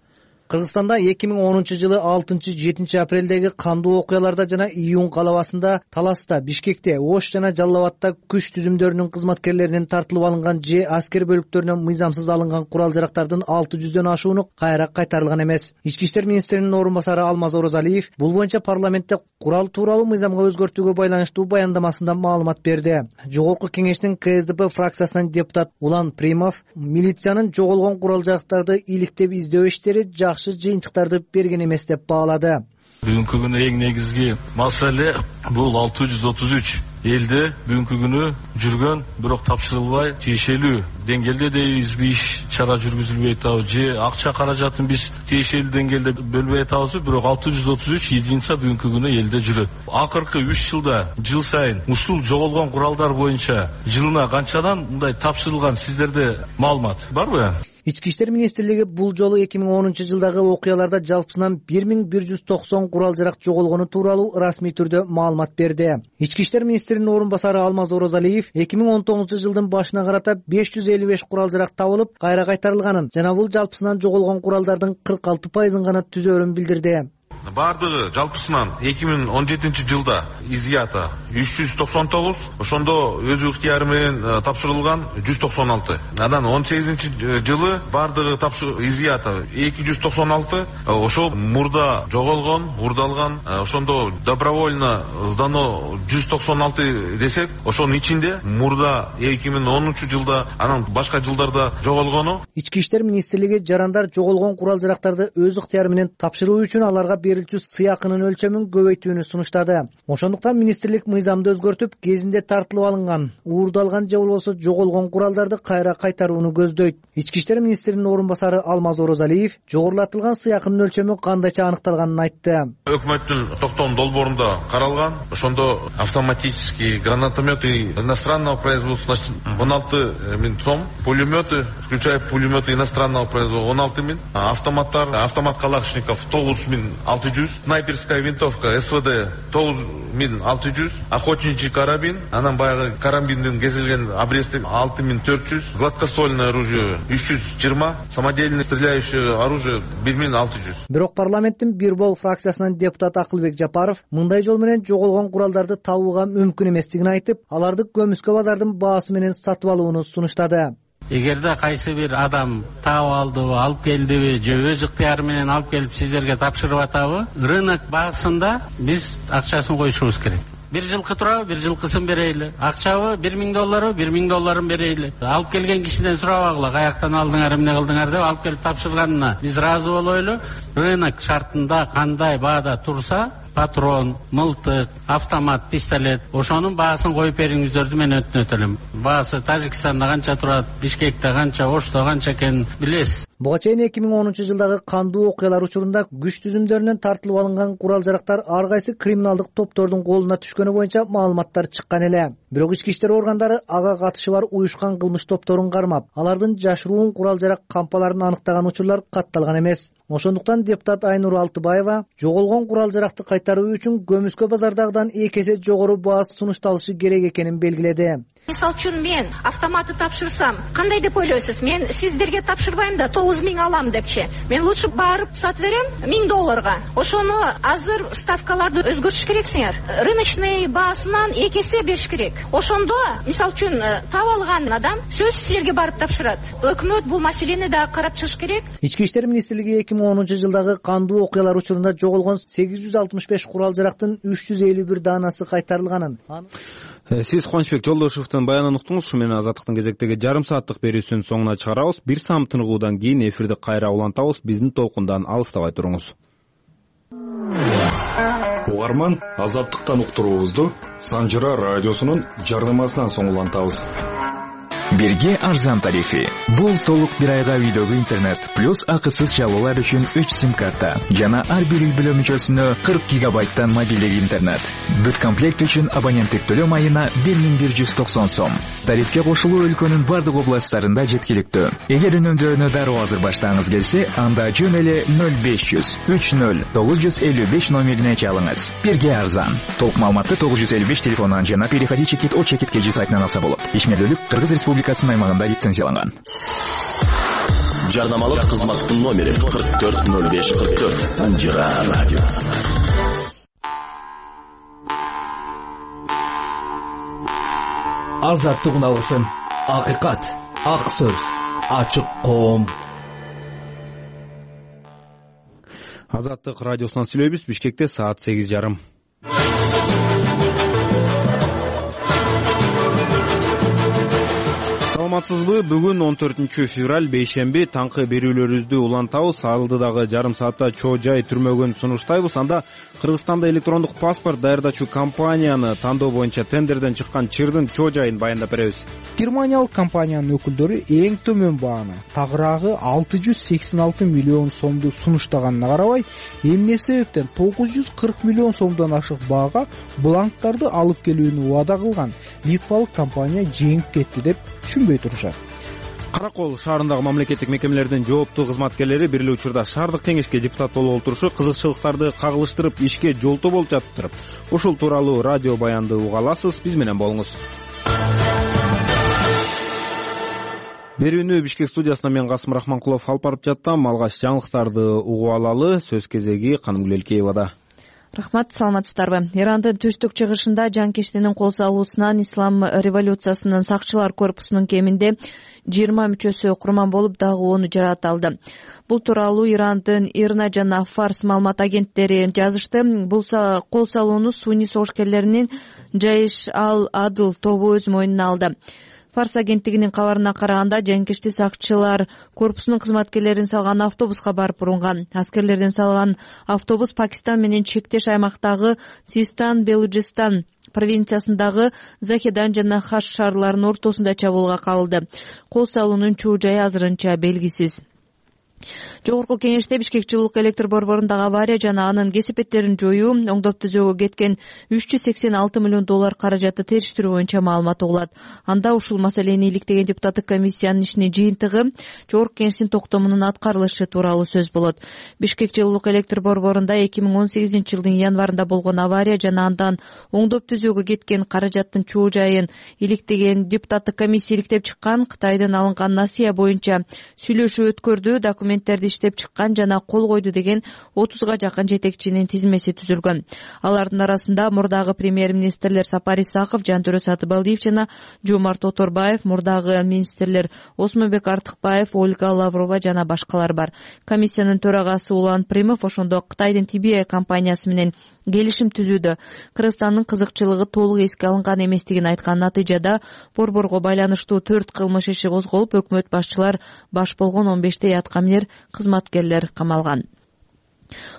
Кыргызстанда эки миң онунчу жылы алтынчы жетинчи апрелдеги кандуу окуяларда жана июнь калабасында, Таласта, Бишкекте, Ош жана Жалал Абадта күч түзүмдөрүнүн кызматкерлеринен тартылып алынган же аскер бөлүктөрүнөн мыйзамсыз алынган курал жарактардын алты жүздөн ашууну кайра кайтарылган эмес. Ички иштер министринин орун басары Алмаз Оразалиев бул боюнча парламентте курал тууралуу мыйзамга өзгөртүүгө байланыштуу баяндамасында маалымат берди. Жогорку кеңештин Ка Эс Д П фракциясынан депутат Улан Примов милициянын жоголгон курал жарактарды иликтеп издөө иштери жакшы жыйынтыктарды берген эмес деп баалады. Бүгүнкү күнү эң негизги маселе бул алты жүз отуз үч элде бүгүнкү күнү жүргөн, бирок тапшырылбай тиешелүү деңгээлде дейбизби иш чара жүргүзүлбөй атабы же акча каражатын биз тиешелүү деңгээлде бөлбөй атабызбы, бирок алты жүз отуз үч единица бүгүнкү күнү элде жүрөт. Акыркы үч жылда жыл сайын ушул жоголгон куралдар боюнча жылына канчадан мындай тапшырылган сиздерде маалымат барбы? Ички иштер министрлиги бул жолу эки миң онунчу жылдагы окуяларда жалпысынан бир миң бир жүз токсон курал жарак жоголгону тууралуу расмий түрдө маалымат берди. Ички иштер министринин орун басары Алмаз Оразалиев эки миң он тогузунчу жылдын башына карата беш жүз элүү беш курал жарак табылып, кайра кайтарылганын жана бул жалпысынан жоголгон куралдардын кырк алты пайызын гана түзөөрүн билдирди. Бардыгы жалпысынан эки миң он жетинчи жылда изъято үч жүз токсон тогуз, ошондо өз ыктыяры менен тапшырылган жүз токсон алты. Анан он сегизинчи жылы бардыгы изъято эки жүз токсон алты, ошол мурда жоголгон, уурдалган, ошондо добровольно сдано жүз токсон алты десек, ошонун ичинде мурда эки миң онунчу жылда, анан башка жылдарда жоголгону. Ички иштер министрлиги жарандар жоголгон курал жарактарды өз ыктыяры менен тапшыруу үчүн аларга берилчү сый акынын өлчөмүн көбөйтүүнү сунуштады. Ошондуктан министрлик мыйзамды өзгөртүп, кезинде тартылып алынган, уурдалган же болбосо жоголгон куралдарды кайра кайтарууну көздөйт. Ички иштер министринин орун басары Алмаз Оразалиев жогорулатылган сый акынын өлчөмү кандайча аныкталганын айтты. Өкмөттүн токтом долбоорунда каралган, ошондо автоматический гранатометы иностранного производства он алты миң сом, пулеметы, включая пулеметы иностранного производства он алты миң, автоматтар, автомат калашников тогуз миң алты жүз, снайперская винтовка С В Д тогуз миң алты жүз, охотничий карабин, анан баягы карабиндин кесилген обрезки алты миң төрт жүз, гладкоствольное оружие үч жүз жыйырма, самодельное стреляющее оружие бир миң алты жүз. Бирок парламенттин бир бол фракциясынан депутат Акылбек Жапаров мындай жол менен жоголгон куралдарды табууга мүмкүн эместигин айтып, аларды көмүскө базардын баасы менен сатып алууну сунуштады. Эгерде кайсы бир адам таап алдыбы, алып келдиби же өз ыктыяры менен алып келип сиздерге тапшырып атабы, рынок баасында биз акчасын коюшубуз керек. Бир жылкы турабы, бир жылкысын берейли. Акчабы бир миң долларбы, бир миң долларын берейли. Алып келген кишиден сурабагыла, каяктан алдыңар, эмне кылдыңар деп алып келип тапшырганына биз ыраазы болойлу. Рынок шартында кандай баада турса, патрон, мылтык, автомат, пистолет, ошонун баасын коюп бериңиздерди мен өтүнөт элем. Баасы Тажикстанда канча турат, Бишкекте канча, Ошто канча экенин билесиз. Буга чейин эки миң онунчу жылдагы кандуу окуялар учурунда күч түзүмдөрүнөн тартылып алынган курал жарактар ар кайсы криминалдык топтордун колуна түшкөнү боюнча маалыматтар чыккан эле. Бирок ички иштер органдары ага катышы бар уюшкан кылмыш топторун кармап, алардын жашыруун курал жарак кампаларын аныктаган учурлар катталган эмес. Ошондуктан депутат Айнур Алтыбаева жоголгон курал жаракты кайтаруу үчүн көмүскө базардагыдан эки эсе жогору баа сунушталышы керек экенин белгиледи. Мисалы үчүн мен автоматты тапшырсам, кандай деп ойлойсуз? Мен сиздерге тапшырбайм да тогуз миң алам депчи. Мен лучше барып сатып берем миң долларга. Ошону азыр ставкаларды өзгөртүш керексиңер. Рыночный баасынан эки эсе бериш керек. Ошондо, мисалы үчүн таап алган адам сөзсүз силерге барып тапшырат. Өкмөт бул маселени да карап чыгыш керек. Ички иштер министрлиги эки миң онунчу жылдагы кандуу окуялар учурунда жоголгон сегиз жүз алтымыш беш курал жарактын үч жүз элүү бир даанасы кайтарылганын. Сиз Кубанычбек Жолдошевдун баянын уктуңуз. Ушу менен Азаттыктын кезектеги жарым сааттык берүүсүнүн соңуна чыгарабыз. Бир саам тыныгуудан кийин эфирди кайра улантабыз. Биздин толкундан алыстабай туруңуз. Угарман, Азаттыктан уктуруубузду Санжыра радиосунун жарнамасынан соң улантабыз. Бирге арзан тарифи. Бул толук бир айга үйдөгү интернет плюс акысыз чалуулар үчүн үч сим карта жана ар бир үй бүлө мүчөсүнө кырк гигабайттан мобилдик интернет. Бүт комплект үчүн абоненттик төлөм айына бир миң бир жүз токсон сом. Тарифке кошулуу өлкөнүн бардык областтарында жеткиликтүү. Эгер үнөмдөрүнө дароо азыр баштагыңыз келсе, анда жөн эле ноль беш жүз үч ноль тогуз жүз элүү беш номерине чалыңыз. Бирге арзан. Толук маалыматты тогуз жүз элүү беш телефонунан жана переходи чекит о чекит кж сайтынан алса болот. Ишмердүүлүк Кыргыз Республикасынын аймагында лицензияланган. Жарнамалык кызматтын номери кырк төрт ноль беш кырк төрт. Санжира радиосы. Азаттык алгысын. Акыйкат, ак сөз, ачык коом. Азаттык радиосунан сүйлөйбүз. Бишкекте саат сегиз жарым. Саламатсызбы? Бүгүн он төртүнчү февраль бейшемби таңкы берүүлөрүбүздү улантабыз. Алдыдагы жарым саатта чоо жай түрмөгөн сунуштайбыз. Анда Кыргызстанда электрондук паспорт даярдачу компанияны тандоо боюнча тендерден чыккан чырдын чоо жайын баяндап беребиз. Германиялык компаниянын өкүлдөрү эң төмөн бааны, тагыраагы алты жүз сексен алты миллион сомду сунуштаганына карабай, эмне себептен тогуз жүз кырк миллион сомдон ашык баага бланктарды алып келүүнү убада кылган литвалык компания жеңип кетти деп түшүнбөй турушат. Каракол шаарындагы мамлекеттик мекемелердин жооптуу кызматкерлери бир эле учурда шаардык кеңешке депутат болуп отурушу кызыкчылыктарды кагылыштырып ишке жолтоо болуп жатыптыр. Ушул тууралуу радио баянды уга аласыз. Биз менен болуңуз. Берүүнү Бишкек студиясынан мен Касым Рахманкулов алып барып жаттым. Алгач жаңылыктарды угуп алалы. Сөз кезеги Канымгүл Элкеевада. Рахмат, саламатсыздарбы? Ирандын түштүк чыгышында жанкечтинин кол салуусунан ислам революциясынын сакчылар корпусунун кеминде жыйырма мүчөсү курман болуп, дагы оны жараталды. Бул тууралуу Ирандын Ирна жана Фарс маалымат агенттери жазышты. Бул кол салууну сунни согушкерлеринин Жайш ал-Адл тобу өз мойнуна алды. Фарс агенттигинин кабарына караганда, жанкечти сакчылар корпусунун кызматкерлерин салган автобуска барып урунган. Аскерлердин салган автобус Пакистан менен чектеш аймактагы Систан Белуджистан провинциясындагы Захедан жана Хаш шаарларынын ортосунда чабуулга кабылды. Кол салуунун чоо жайы азырынча белгисиз. Жогорку кеңеште Бишкек жылуулук электр борборундагы авария жана анын кесепеттерин жоюу, оңдоп түзөөгө кеткен үч жүз сексен алты миллион доллар каражатты териштирүү боюнча маалымат угулат. Анда ушул маселени иликтеген депутаттык комиссиянын ишинин жыйынтыгы жогорку кеңештин токтомунун аткарылышы тууралуу сөз болот. Бишкек жылуулук электр борборунда эки миң он сегизинчи жылдын январында болгон авария жана андан оңдоп түзөөгө кеткен каражаттын чоо жайын иликтеген депутаттык комиссия иликтеп чыккан Кытайдын алынган насыя боюнча сүйлөшүү өткөрдү, документтерди иштеп чыккан жана кол койду деген отузга жакын жетекчинин тизмеси түзүлгөн. Алардын арасында мурдагы премьер-министрлер Сапар Исаков, Жантөрө Сатыбалдиев жана Жомарт Оторбаев, мурдагы министрлер Осмонбек Артыкбаев, Ольга Лаврова жана башкалар бар. Комиссиянын төрагасы Улан Примов ошондо Кытайдын Ти Би Ай компаниясы менен келишим түзүүдө Кыргызстандын кызыкчылыгы толук эске алынган эместигин айткан. Натыйжада борборго байланыштуу төрт кылмыш иши козголуп, өкмөт башчылар баш болгон он бештей аткаминер кызматкерлер камалган.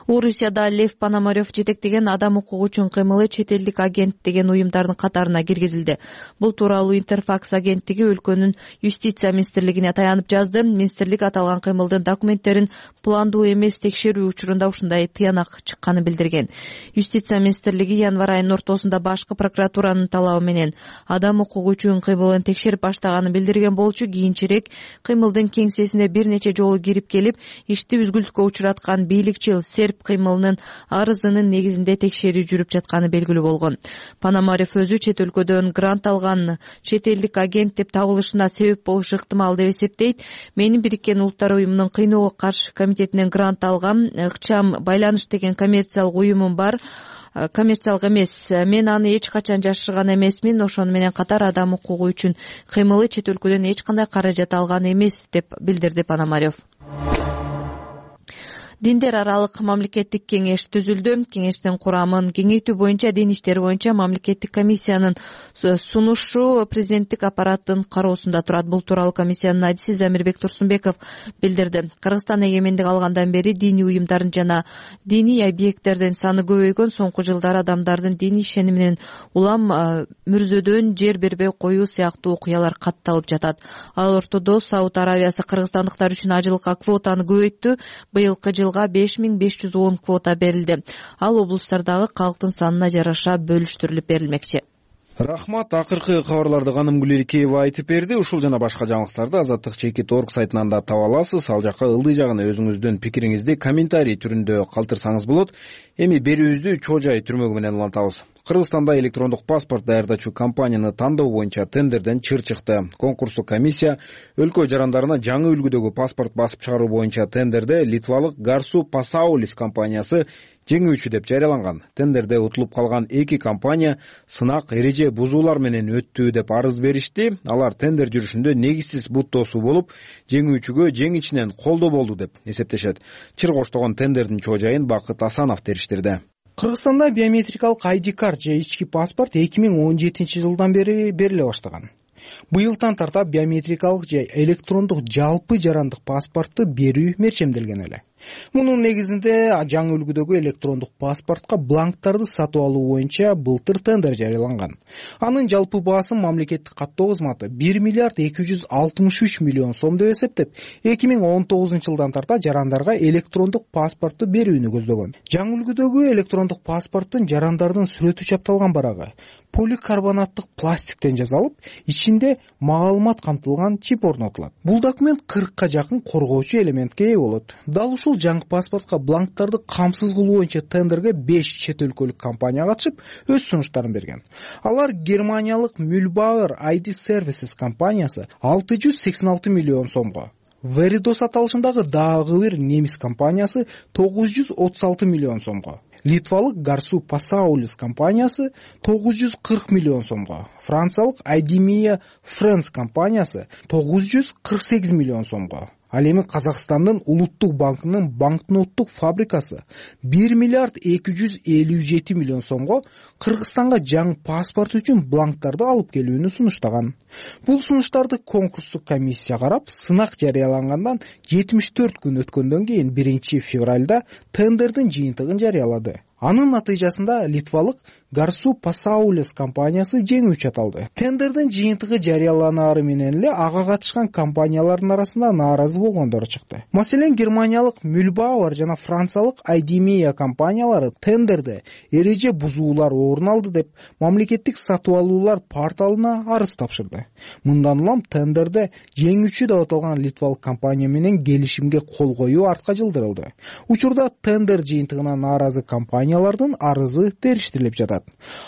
Орусияда Лев Пономарев жетектеген адам укугу үчүн кыймылы чет элдик агент деген уюмдардын катарына киргизилди. Бул тууралуу Интерфакс агенттиги өлкөнүн юстиция министрлигине таянып жазды. Министрлик аталган кыймылдын документтерин пландуу эмес текшерүү учурунда ушундай тыянак чыкканын билдирген. Юстиция министрлиги январь айынын ортосунда башкы прокуратуранын талабы менен адам укугу үчүн кыймылын текшерип баштаганын билдирген болчу. Кийинчерээк кыймылдын кеңсесине бир нече жолу кирип келип, ишти үзгүлтүккө учураткан бийликчил серб кыймылынын арызынын негизинде текшерүү жүрүп жатканы белгилүү болгон. Пономарев өзү чет өлкөдөн грант алган чет элдик агент деп табылышына себеп болушу ыктымал деп эсептейт. Менин Бириккен Улуттар уюмунун кыйноого каршы комитетинен грант алгам ыкчам байланыш деген коммерциялык уюмум бар. Коммерциялык эмес. Мен аны эч качан жашырган эмесмин. Ошону менен катар адам укугу үчүн кыймылы чет өлкөдөн эч кандай каражат алган эмес деп билдирди Пономарев. Диндер аралык мамлекеттик кеңеш түзүлдү. Кеңештин курамын кеңейтүү боюнча дин иштери боюнча мамлекеттик комиссиянын сунушу президенттик аппараттын кароосунда турат. Бул тууралуу комиссиянын адиси Замирбек Турсунбеков билдирди. Кыргызстан эгемендик алгандан бери диний уюмдардын жана диний объекттердин саны көбөйгөн. Соңку жылдары адамдардын диний ишениминен улам мүрзөдөн жер бербей коюу сыяктуу окуялар катталып жатат. Ал ортодо Сауд Аравиясы кыргызстандыктар үчүн ажылыкка квотаны көбөйттү. Быйылкы жылга беш миң беш жүз он квота берилди. Ал облустардагы калктын санына жараша бөлүштүрүлүп берилмекчи. Рахмат. Акыркы кабарларды Каным Гулерикеева айтып берди. Ушул жана башка жаңылыктарды Азаттык чекит орг сайтынан да таба аласыз. Ал жака ылдый жагына өзүңүздүн пикириңизди комментарий түрүндө калтырсаңыз болот. Эми берүүбүздү чоо жай түрмөгү менен улантабыз. Кыргызстанда электрондук паспорт даярдачу компанияны тандоо боюнча тендерден чыр чыкты. Конкурстук комиссия өлкө жарандарына жаңы үлгүдөгү паспорт басып чыгаруу боюнча тендерде литвалык Garsu Pasaulis компаниясы жеңүүчү деп жарыяланган. Тендерде утулуп калган эки компания сынак эреже бузуулар менен өттү деп арыз беришти. Алар тендер жүрүшүндө негизсиз буттоосу болуп, жеңүүчүгө жең ичинен колдоо болду деп эсептешет. Чыр коштогон тендердин чоо жайын Бакыт Асанов териштирди. Кыргызстанда биометрикалык ай ди карт же ички паспорт эки миң он жетинчи жылдан бери бериле баштаган. Быйылдан тарта биометрикалык же электрондук жалпы жарандык паспортты берүү мерчемделген эле. Мунун негизинде жаңы үлгүдөгү электрондук паспортко бланктарды сатып алуу боюнча былтыр тендер жарыяланган. Анын жалпы баасы мамлекеттик каттоо кызматы бир миллиард эки жүз алтымыш үч миллион сом деп эсептеп, эки миң он тогузунчу жылдан тарта жарандарга электрондук паспортту берүүнү көздөгөн. Жаңы үлгүдөгү электрондук паспорттун жарандардын сүрөтү чапталган барагы поликарбонаттык пластиктен жасалып, ичинде маалымат камтылган чип орнотулат. Бул документ кыркка жакын коргоочу элементке ээ болот. Дал ушул жаңы паспортко бланктарды камсыз кылуу боюнча тендерге беш чет өлкөлүк компания катышып, өз сунуштарын берген. Алар германиялык Mühlbauer ай ди Services компаниясы алты жүз сексен алты миллион сомго, Veridos аталышындагы дагы бир немис компаниясы тогуз жүз отуз алты миллион сомго, литвалык Garsu Pasaulis компаниясы тогуз жүз кырк миллион сомго, франциялык Idemia France компаниясы тогуз жүз кырк сегиз миллион сомго, ал эми Казакстандын Улуттук банкынын банкноттук фабрикасы бир миллиард эки жүз элүү жети миллион сомго Кыргызстанга жаңы паспорт үчүн бланктарды алып келүүнү сунуштаган. Бул сунуштарды конкурстук комиссия карап, сынак жарыялангандан жетимиш төрт күн өткөндөн кийин биринчи февралда тендердин жыйынтыгын жарыялады. Анын натыйжасында литвалык Garsu Pasaulis компаниясы жеңүүчү аталды. Тендердин жыйынтыгы жарыяланаары менен эле ага катышкан компаниялардын арасында нааразы болгондор чыкты. Маселен, германиялык Mühlbauer жана франциялык Idemia компаниялары тендерде эреже бузуулар орун алды деп мамлекеттик сатып алуулар порталына арыз тапшырды. Мындан улам тендерде жеңүүчү деп аталган литвалык компания менен келишимге кол коюу артка жылдырылды. Учурда тендер жыйынтыгына нааразы компаниялардын арызы териштирилип жатат.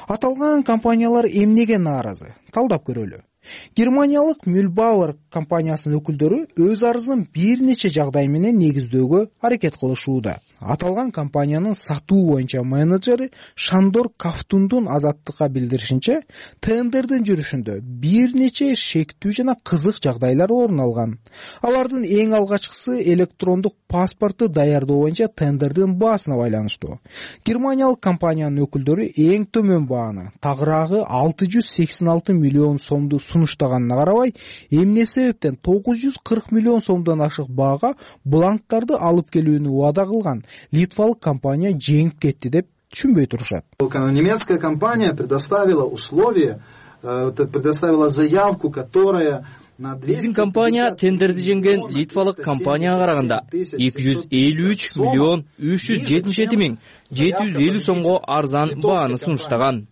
Аталган компаниялар эмнеге нааразы? Талдап көрөлү. Германиялык Mühlbauer компаниясынын өкүлдөрү өз арызын бир нече жагдай менен негиздөөгө аракет кылышууда. Аталган компаниянын сатуу боюнча менеджери Шандор Кафтундун Азаттыкка билдиришинче, тендердин жүрүшүндө бир нече шектүү жана кызык жагдайлар орун алган. Алардын эң алгачкысы электрондук паспортты даярдоо боюнча тендердин баасына байланыштуу. Германиялык компаниянын өкүлдөрү эң төмөн бааны, тагыраагы алты жүз сексен алты миллион сомду сунуштаганына карабай, эмне себептен тогуз жүз кырк миллион сомдон ашык баага бланктарды алып келүүнү убада кылган литвалык компания жеңип кетти деп түшүнбөй турушат. Немецкая компания предоставила условия, предоставила заявку, которая Биздин компания тендерди жеңген литвалык компанияга караганда эки жүз элүү үч миллион үч жүз жетимиш жети миң жети жүз элүү сомго арзан бааны сунуштаган.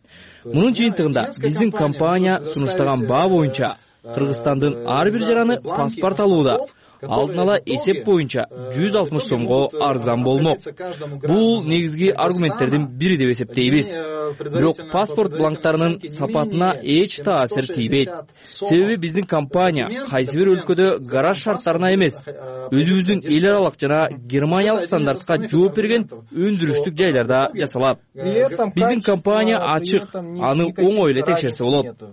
Мунун жыйынтыгында биздин компания сунуштаган баа боюнча Кыргызстандын ар бир жараны паспорт алууда алдын ала эсеп боюнча жүз алтымыш сомго арзан болмок. Бул негизги аргументтердин бири деп эсептейбиз. Бирок паспорт бланктарынын сапатына эч таасир тийбейт. Себеби биздин компания кайсы бир өлкөдө гараж шарттарына эмес, өзүбүздүн эл аралык жана германиялык стандартка жооп берген өндүрүштүк жайларда жасалат. Биздин компания ачык, аны оңой эле текшерсе болот.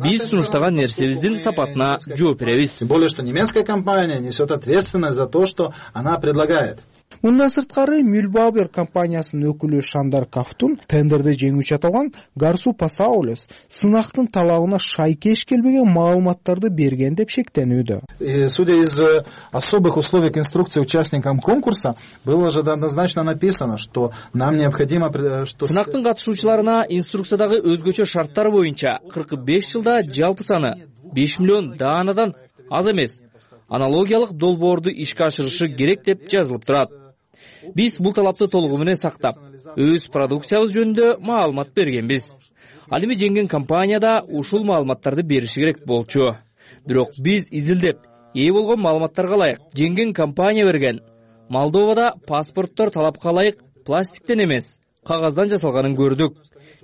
Биз сунуштаган нерсебиздин сапатына жооп беребиз. Тем более, что немецкая компания несет ответственность за то, что она предлагает. Мындан сырткары Мülbauer компаниясынын өкүлү Шандар Кафтун тендерди жеңүүчү аталган Garsu Pasaules сынактын талабына шайкеш келбеген маалыматтарды берген деп шектенүүдө. Судя из особых условий к инструкции участникам конкурса, было же однозначно написано, что нам необходимо... Сынактын катышуучуларына инструкциядагы өзгөчө шарттар боюнча кырк беш жылда жалпы саны беш миллион даанадан аз эмес аналогиялык долбоорду ишке ашырышы керек деп жазылып турат. Биз бул талапты толугу менен сактап, өз продукциябыз жөнүндө маалымат бергенбиз. Ал эми жеңген компанияда ушул маалыматтарды бериши керек болчу. Бирок биз изилдеп, ээ болгон маалыматтарга ылайык жеңген компания берген Молдовада паспорттор талапка ылайык пластиктен эмес, кагаздан жасалганын көрдүк.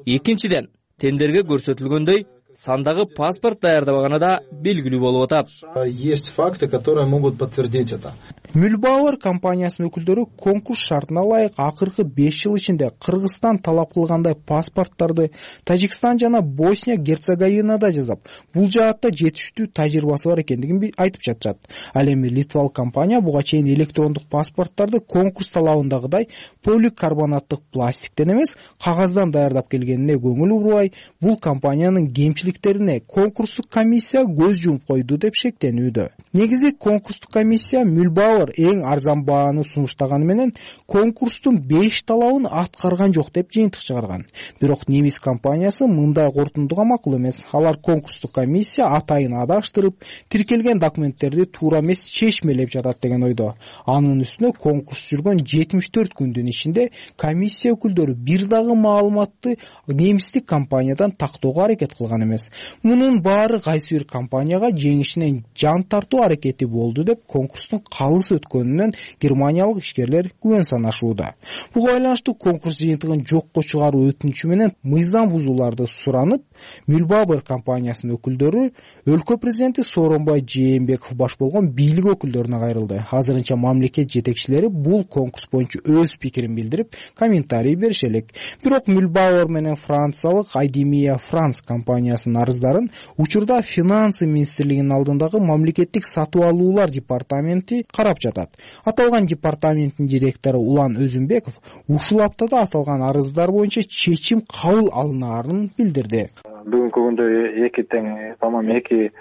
Экинчиден, тендерге көрсөтүлгөндөй сандагы паспорт даярдабаганы да белгилүү болуп атат. Есть факты, которые могут подтвердить это. Mülbauer компаниясынын өкүлдөрү конкурс шартына ылайык акыркы беш жыл ичинде Кыргызстан талап кылгандай паспорттарды Тажикстан жана Босния Герцеговинада жасап, бул жаатта жетиштүү тажрыйбасы бар экендигин айтып жатышат. Ал эми литвалык компания буга чейин электрондук паспорттарды конкурс талабындагыдай поликарбонаттык пластиктен эмес, кагаздан даярдап келгенине көңүл бурбай, бул компаниянын кемчиликтерине конкурстук комиссия көз жумуп койду деп шектенүүдө. Негизи конкурстук комиссия Mülbauer эң арзан бааны сунуштаганы менен конкурстун беш талабын аткарган жок деп жыйынтык чыгарган. Бирок немис компаниясы мындай корутундуга макул эмес. Алар конкурстук комиссия атайын адаштырып, тиркелген документтерди туура эмес чечмелеп жатат деген ойдо. Анын үстүнө конкурс жүргөн жетимиш төрт күндүн ичинде комиссия өкүлдөрү бир дагы маалыматты немистик компаниядан тактоого аракет кылган эмес. Мунун баары кайсы бир компанияга жеңишинен жан тартуу аракети болду деп конкурстун калыс өткөнүнөн германиялык ишкерлер күбөн санашууда. Буга байланыштуу конкурс жыйынтыгын жокко чыгаруу өтүнүчү менен мыйзам бузууларды суранып, Mülbauer компаниясынын өкүлдөрү өлкө президенти Сооронбай Жээнбеков баш болгон бийлик өкүлдөрүнө кайрылды. Азырынча мамлекет жетекчилери бул конкурс боюнча өз пикирин билдирип, комментарий бериши элек. Бирок Mülbauer менен франциялык Idemia France компаниясынын арыздарын учурда Финансы министрлигинин алдындагы мамлекеттик сатып алуулар департаменти карап жатат. Аталган департаменттин директору Улан Өзүнбеков ушул аптада аталган арыздар боюнча чечим кабыл алынаарын билдирди. Бүгүнкү күндө эки тең, по-моему, эки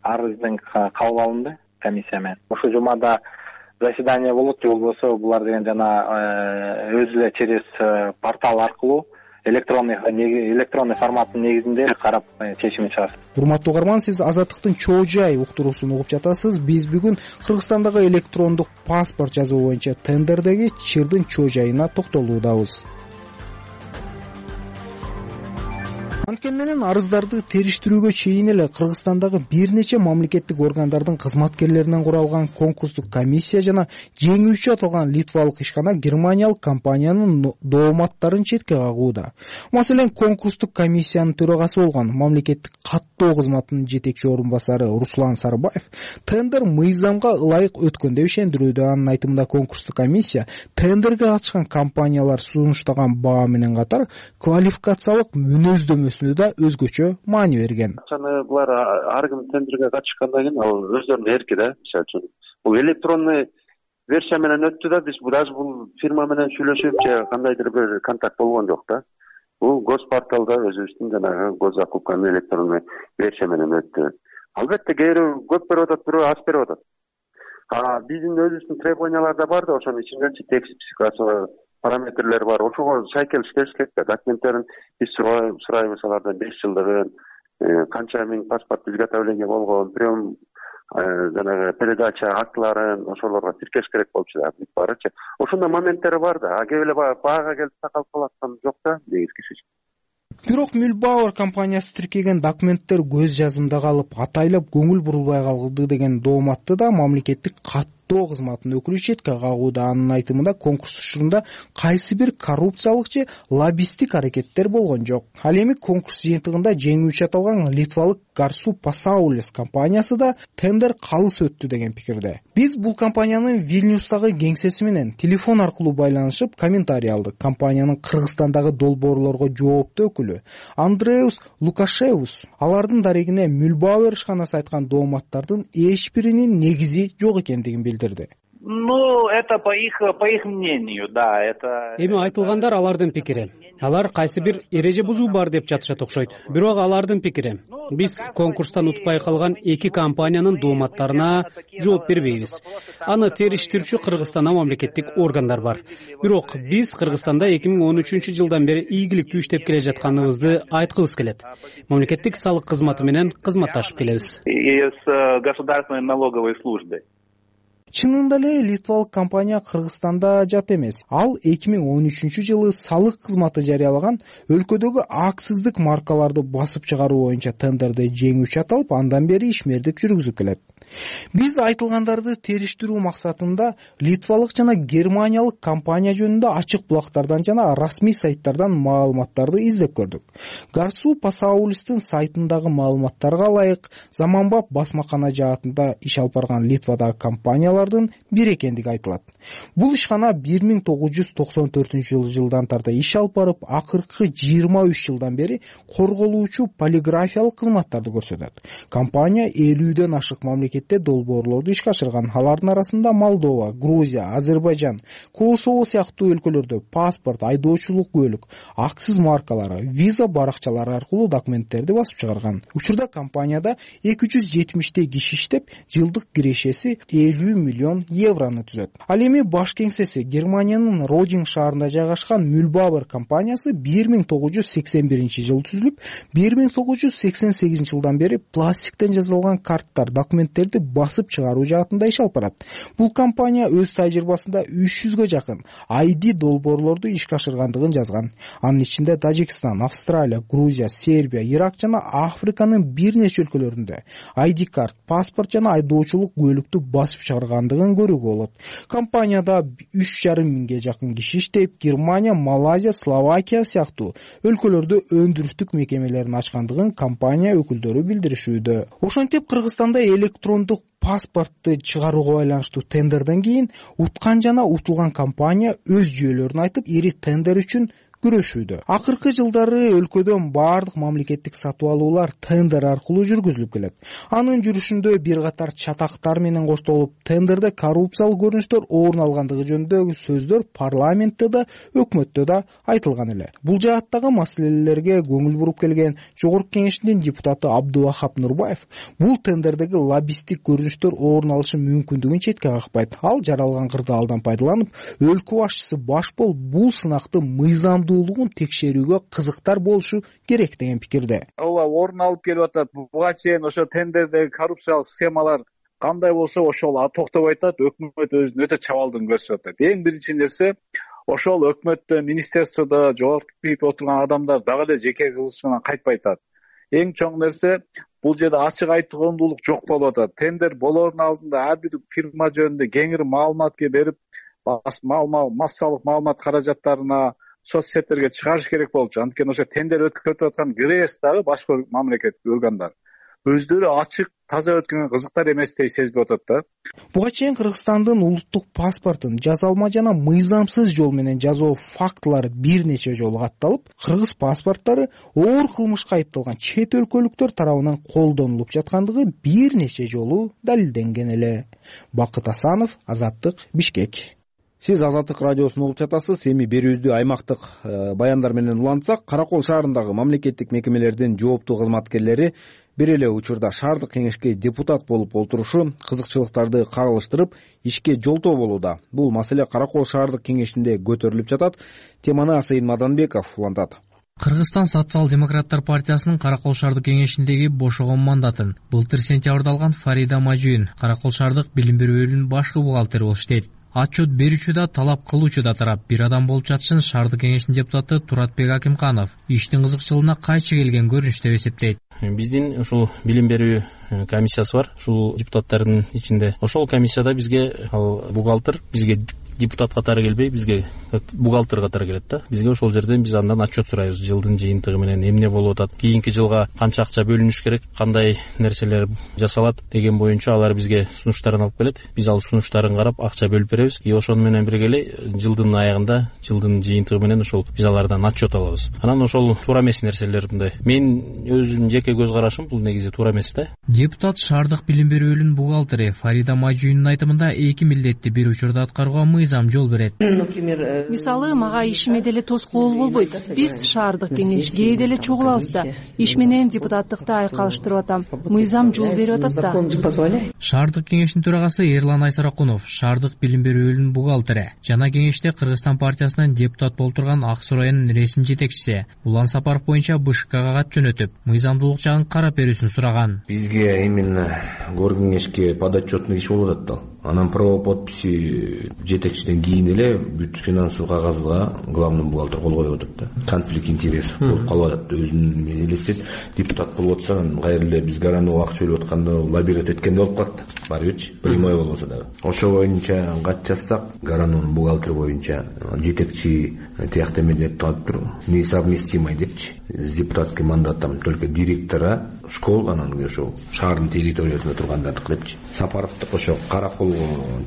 арыздын кабыл алынды комиссия менен. Ушул жумада заседание болот же болбосо булар деген жана өзү эле через портал аркылуу электронный электронный форматтын негизинде карап чечимин чыгарат. Урматтуу угарман, сиз Азаттыктын чоо жай уктуруусун угуп жатасыз. Биз бүгүн Кыргызстандагы электрондук паспорт жазуу боюнча тендердеги чырдын чоо жайына токтолуудабыз. Анткени менен арыздарды териштирүүгө чейин эле Кыргызстандагы бир нече мамлекеттик органдардын кызматкерлеринен куралган конкурстук комиссия жана жеңүүчү аталган литвалык ишкана германиялык компаниянын дооматтарын четке кагууда. Маселен, конкурстук комиссиянын төрагасы болгон мамлекеттик каттоо кызматынын жетекчи орун басары Руслан Сарбаев тендер мыйзамга ылайык өткөн деп ишендирүүдө. Анын айтымында конкурстук комиссия тендерге катышкан компаниялар сунуштаган баа менен катар квалификациялык мүнөздөмөсү да өзгөчө маани берген. Чаны булар ар ким тендерге катышкандан кийин ал өздөрүнүн эрки да. Мисалы үчүн бул электронный версия менен өттү да, биз даже бул фирма менен сүйлөшүп же кандайдыр бир контакт болгон жок да. Бул госпорталда өзүбүздүн жанагы госзакупканын электронный версия менен өттү. Албетте кээ бирөө көп берип атат, бирөө аз берип атат. А биздин өзүбүздүн требованиялар да бар да, ошонун ичинде текст психикасы параметрлер бар. Ошого сайкел иштеш керек да. Документтерин биз сурайбыз, алардан беш жылдыгын, канча миң паспорт изготовление болгон, прием жанагы передача актларын ошолорго тиркеш керек болчу да, бүт баарычы. Ошондой моменттери бар да. А кээ эле баага келип такалып калаткан жок да, негизгиси. Бирок Mülbauer компаниясы тиркеген документтер көз жазымда калып, атайлап көңүл бурулбай калды деген дооматты да мамлекеттик каттоо кызматынын өкүлү четке кагууда. Анын айтымында конкурс учурунда кайсы бир коррупциялык же лоббисттик аракеттер болгон жок. Ал эми конкурс жыйынтыгында жеңүүчү аталган литвалык Garsu Pasaules компаниясы да тендер калыс өттү деген пикирде. Биз бул компаниянын Вильнюстагы кеңсеси менен телефон аркылуу байланышып комментарий алдык. Компаниянын Кыргызстандагы долбоорлорго жооптуу өкүлү Андреус Лукашевус алардын дарегине Mülbauer ишканасы айткан дооматтардын эч биринин негизи жок экендигин билдирди. Ну, это по их, по их мнению, да, это... Эми айтылгандар алардын пикири. Алар кайсы бир эреже бузуу бар деп жатышат окшойт. Бирок алардын пикири. Биз конкурстан утпай калган эки компаниянын дооматтарына жооп бербейбиз. Аны териштирүүчү Кыргызстанда мамлекеттик органдар бар. Бирок биз Кыргызстанда эки миң он үчүнчү жылдан бери ийгиликтүү иштеп келе жатканыбызды айткыбыз келет. Мамлекеттик салык кызматы менен кызматташып келебиз. И с государственной налоговой службой. Чынында эле литвалык компания Кыргызстанда жат эмес. Ал эки миң он үчүнчү жылы салык кызматы жарыялаган өлкөдөгү аксыздык маркаларды басып чыгаруу боюнча тендерде жеңүүчү аталып, андан бери ишмердик жүргүзүп келет. Биз айтылгандарды териштирүү максатында литвалык жана германиялык компания жөнүндө ачык булактардан жана расмий сайттардан маалыматтарды издеп көрдүк. Гарсу Пасаулистин сайтындагы маалыматтарга ылайык, заманбап басмакана жаатында иш алып барган Литвадагы компаниялардын бири экендиги айтылат. Бул ишкана бир миң тогуз жүз токсон төртүнчү жылдан тарта иш алып барып, акыркы жыйырма үч жылдан бери корголуучу полиграфиялык кызматтарды көрсөтөт. Компания элүүдөн ашык мамлекет долбоорлорду ишке ашырган. Алардын арасында Молдова, Грузия, Азербайжан, Косово сыяктуу өлкөлөрдө паспорт, айдоочулук көлүк, аксыз маркалары, виза баракчалары аркылуу документтерди басып чыгарган. Учурда компанияда эки жүз жетимиштей киши иштеп, жылдык кирешеси элүү миллион еврону түзөт. Ал эми баш кеңсеси Германиянын Родинг шаарында жайгашкан Mühlbauer компаниясы бир миң тогуз жүз сексен биринчи жылы түзүлүп, бир миң тогуз жүз сексен сегизинчи жылдан бери пластиктен жасалган карттар, документтер басып чыгаруу жаатында иш алып барат. Бул компания өз тажрыйбасында үч жүзгө жакын ай ди долбоорлорду ишке ашыргандыгын жазган. Анын ичинде Тажикстан, Австралия, Грузия, Сербия, Ирак жана Африканын бир нече өлкөлөрүндө ай ди карт, паспорт жана айдоочулук көлүктү басып чыгаргандыгын көрүүгө болот. Компанияда үч жарым миңге жакын киши иштеп, Германия, Малайзия, Словакия сыяктуу өлкөлөрдө өндүрүштүк мекемелерин ачкандыгын компания өкүлдөрү билдиришүүдө. Ошентип Кыргызстанда электрондук паспортты чыгарууга байланыштуу тендерден кийин уткан жана утулган компания өз жүйөлөрүн айтып, ири тендер үчүн күрөшүүдө. Акыркы жылдары өлкөдөн баардык мамлекеттик сатып алуулар тендер аркылуу жүргүзүлүп келет. Анын жүрүшүндө бир катар чатактар менен коштолуп, тендерде коррупциялык көрүнүштөр орун алгандыгы жөнүндөгү сөздөр парламентте да, өкмөттө да айтылган эле. Бул жааттагы маселелерге көңүл буруп келген Жогорку Кеңештин депутаты Абдувахап Нурбаев бул тендердеги лоббисттик көрүнүштөр орун алышы мүмкүндүгүн четке какпайт. Ал жаралган кырдаалдан пайдаланып, өлкө башчысы баш болуп, бул сынакты мыйзам текшерүүгө кызыктар болушу керек деген пикирде. Ооба, орун алып келип атат. Буга чейин ошо тендердеги коррупциялык схемалар кандай болсо ошол токтобой атат. Өкмөт өзүнүн өтө чабалдыгын көрсөтүп атат. Эң биринчи нерсе, ошол өкмөттө, министерстводо жогорку бип отурган адамдар дагы эле жеке кызыкчылыгынан кайтпай атат. Эң чоң нерсе, бул жерде ачык айтымдуулук жок болуп атат. Тендер болоордун алдында ар бир фирма жөнүндө кеңири маалымат берип, массалык маалымат каражаттарына соцсеттерге чыгарыш керек болчу. Анткени ошо тендер өткөрүп аткан ГРЭС дагы башка мамлекеттик органдар өздөрү ачык, таза өткөн кызыктар эместей сезилип атат да. Буга чейин Кыргызстандын улуттук паспортун жазалма жана мыйзамсыз жол менен жазуу фактылары бир нече жолу катталып, кыргыз паспорттары оор кылмышка айыпталган чет өлкөлүктөр тарабынан колдонулуп жаткандыгы бир нече жолу далилденген эле. Бакыт Асанов, Азаттык, Бишкек. Сиз Азаттык радиосун угуп жатасыз. Эми берүүбүздү аймактык баяндар менен улантсак, Каракол шаарындагы мамлекеттик мекемелердин жооптуу кызматкерлери бир эле учурда шаардык кеңешке депутат болуп олтурушу кызыкчылыктарды кагылыштырып, ишке жолтоо болууда. Бул маселе Каракол шаардык кеңешинде көтөрүлүп жатат. Теманы Асайын Маданбеков улантат. Кыргызстан социал-демократтар партиясынын Каракол шаардык кеңешиндеги бошогон мандатын былтыр сентябрда алган Фарида Мажуин Каракол шаардык билим берүү бөлүмүнүн башкы бухгалтери болуп иштейт. Отчет берүүчү да, талап кылуучу да тарап бир адам болуп жатышын шаардык кеңештин депутаты Туратбек Акимканов иштин кызыкчылыгына кайчы келген көрүнүш деп эсептейт. Биздин ушул билим берүү комиссиясы бар. Ушул депутаттардын ичинде ошол комиссияда бизге ал бухгалтер бизге депутат катары келбей бизге бухгалтер катары келет да. Бизге ошол жерден биз андан отчет сурайбыз. Жылдын жыйынтыгы менен эмне болуп атат, кийинки жылга канча акча бөлүнүш керек, кандай нерселер жасалат деген боюнча алар бизге сунуштарын алып келет. Биз ал сунуштарын карап акча бөлүп беребиз. И ошону менен бирге эле жылдын аягында, жылдын жыйынтыгы менен ошол биз алардан отчет алабыз. Анан ошол туура эмес нерселер мындай. Мен өзүмдүн жеке көз карашым бул негизи туура эмес да. Депутат Шаардык билим берүү бөлүмүнүн бухгалтери Фарида Мажуйнун айтымында эки милдетти бир учурда аткарууга мыйзам жол берет. Мисалы, мага ишиме деле тоскоол болбойт. Биз шаардык кеңешке деле чогулабыз да. Иш менен депутаттыкты айкалыштырып атам. Мыйзам жол берип атат да. Шаардык кеңештин төрагасы Эрлан Айсаракунов, Шаардык билим берүү бөлүмүнүн бухгалтери. Жана кеңеште Кыргызстан партиясынан депутат болуп турган Ак Суу районунун ресми жетекчиси Улан Сапаров боюнча БШКга кат жөнөтүп, мыйзамдуулук жагын карап берүүсүн сураган. Бизге именно гор кеңешке подотчетный иш болуп атат да. Анан право подписи жетекчиден кийин эле бүт финансылык кагазга главный бухгалтер кол коюп атат да. Конфликт интересов болуп калып атат. Өзүнүн мен элестет, депутат болуп атса, кайра эле биз гаранова акча төлөп атканда лоббировать эткендей болуп калат да. Барбычы, прямой болбосо дагы. Ошо боюнча кат жазсак, гаранонун бухгалтери боюнча жетекчи тиякта эме деп туруп, несовместимый депчи. С депутатским мандатом только директора школ, анан ошо шаардын территориясында тургандардыкы депчи. Сапаровдук ошо Караколго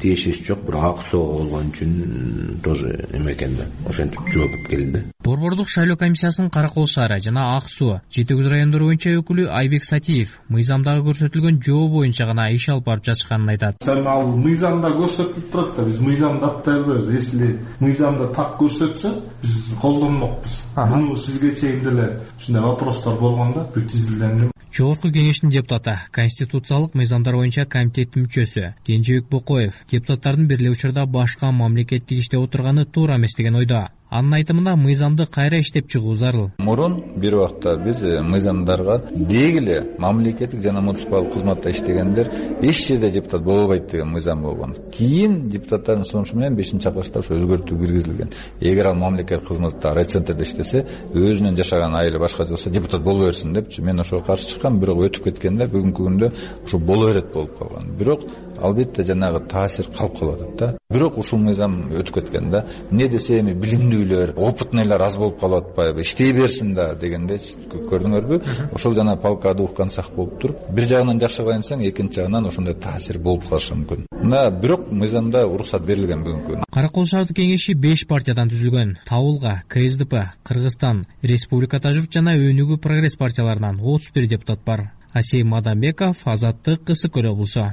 тиешеси жок, бирок Ак Суга болгон үчүн тоже эме экен да. Ошентип жооп келди. Борбордук шайлоо комиссиясынын Каракол шаары жана Ак Суу жети жүз райондор боюнча өкүлү Айбек Сатиев мыйзамдагы көрсөтүлгөн жоо боюнча гана иш алып барып жатышканын айтат. Ал мыйзамда көрсөтүлүп турат да, биз мыйзамды аттай беребиз. Если мыйзамда так көрсөтсө, биз колдонмокпуз. Муну сизге чейин деле ушундай вопростор болгондо бүт изилденген. Жогорку кеңештин депутаты, конституциялык мыйзамдар боюнча комитеттин мүчөсү Кенжебек Бокоев депутаттардын бир эле учурда башка мамлекеттик иште отурганы туура эмес деген ойдо. Анын айтымында мыйзамды кайра иштеп чыгуу зарыл. Мурун бир убакта биз мыйзамдарга деги эле мамлекеттик жана муниципалдык кызматта иштегендер эч жерде депутат боло албайт деген мыйзам болгон. Кийин депутаттардын сунушу менен бешинчи чакырышта ошо өзгөртүү киргизилген. Эгер ал мамлекеттик кызматта райцентрде иштесе, өзүнүн жашаган айылы башка болсо депутат боло берсин депчи. Мен ошого каршы чыккам, бирок өтүп кеткенде бүгүнкү күндө ошо боло берет болуп калган. Бирок албетте жанагы таасир калып калып атат да. Бирок ушул мыйзам өтүп кеткенде, эмне десе эми билимдүүлөр, опытныйлар аз болуп калып атпайбы, иштей берсин да дегенде көрдүңөрбү? Ошол жана полка о двух концах болуп туруп, бир жагынан жакшы кылайынсаң, экинчи жагынан ошондой таасир болуп калышы мүмкүн. Мына бирок мыйзамда уруксат берилген бүгүнкү күнү. Каракол шаардык кеңеши беш партиядан түзүлгөн. Табылга, КСДП, Кыргызстан, Республика Тажурт жана Өнүгүү прогресс партияларынан отуз бир депутат бар. Асей Мадамбеков, Азаттык, Ысык-Көл облусу.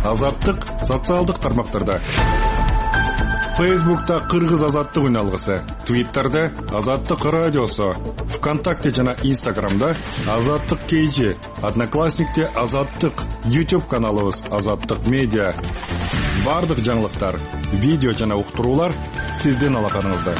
Азаттык социалдык тармактарда. Фейсбукта Кыргыз азаттык үналгысы, Твиттерде Азаттык радиосу, ВКонтакте жана Инстаграмда Азаттык кейжи, Одноклассникте Азаттык, YouTube каналыбыз Азаттык медиа. Бардык жаңылыктар, видео жана уктуруулар сиздин алаканыңызда.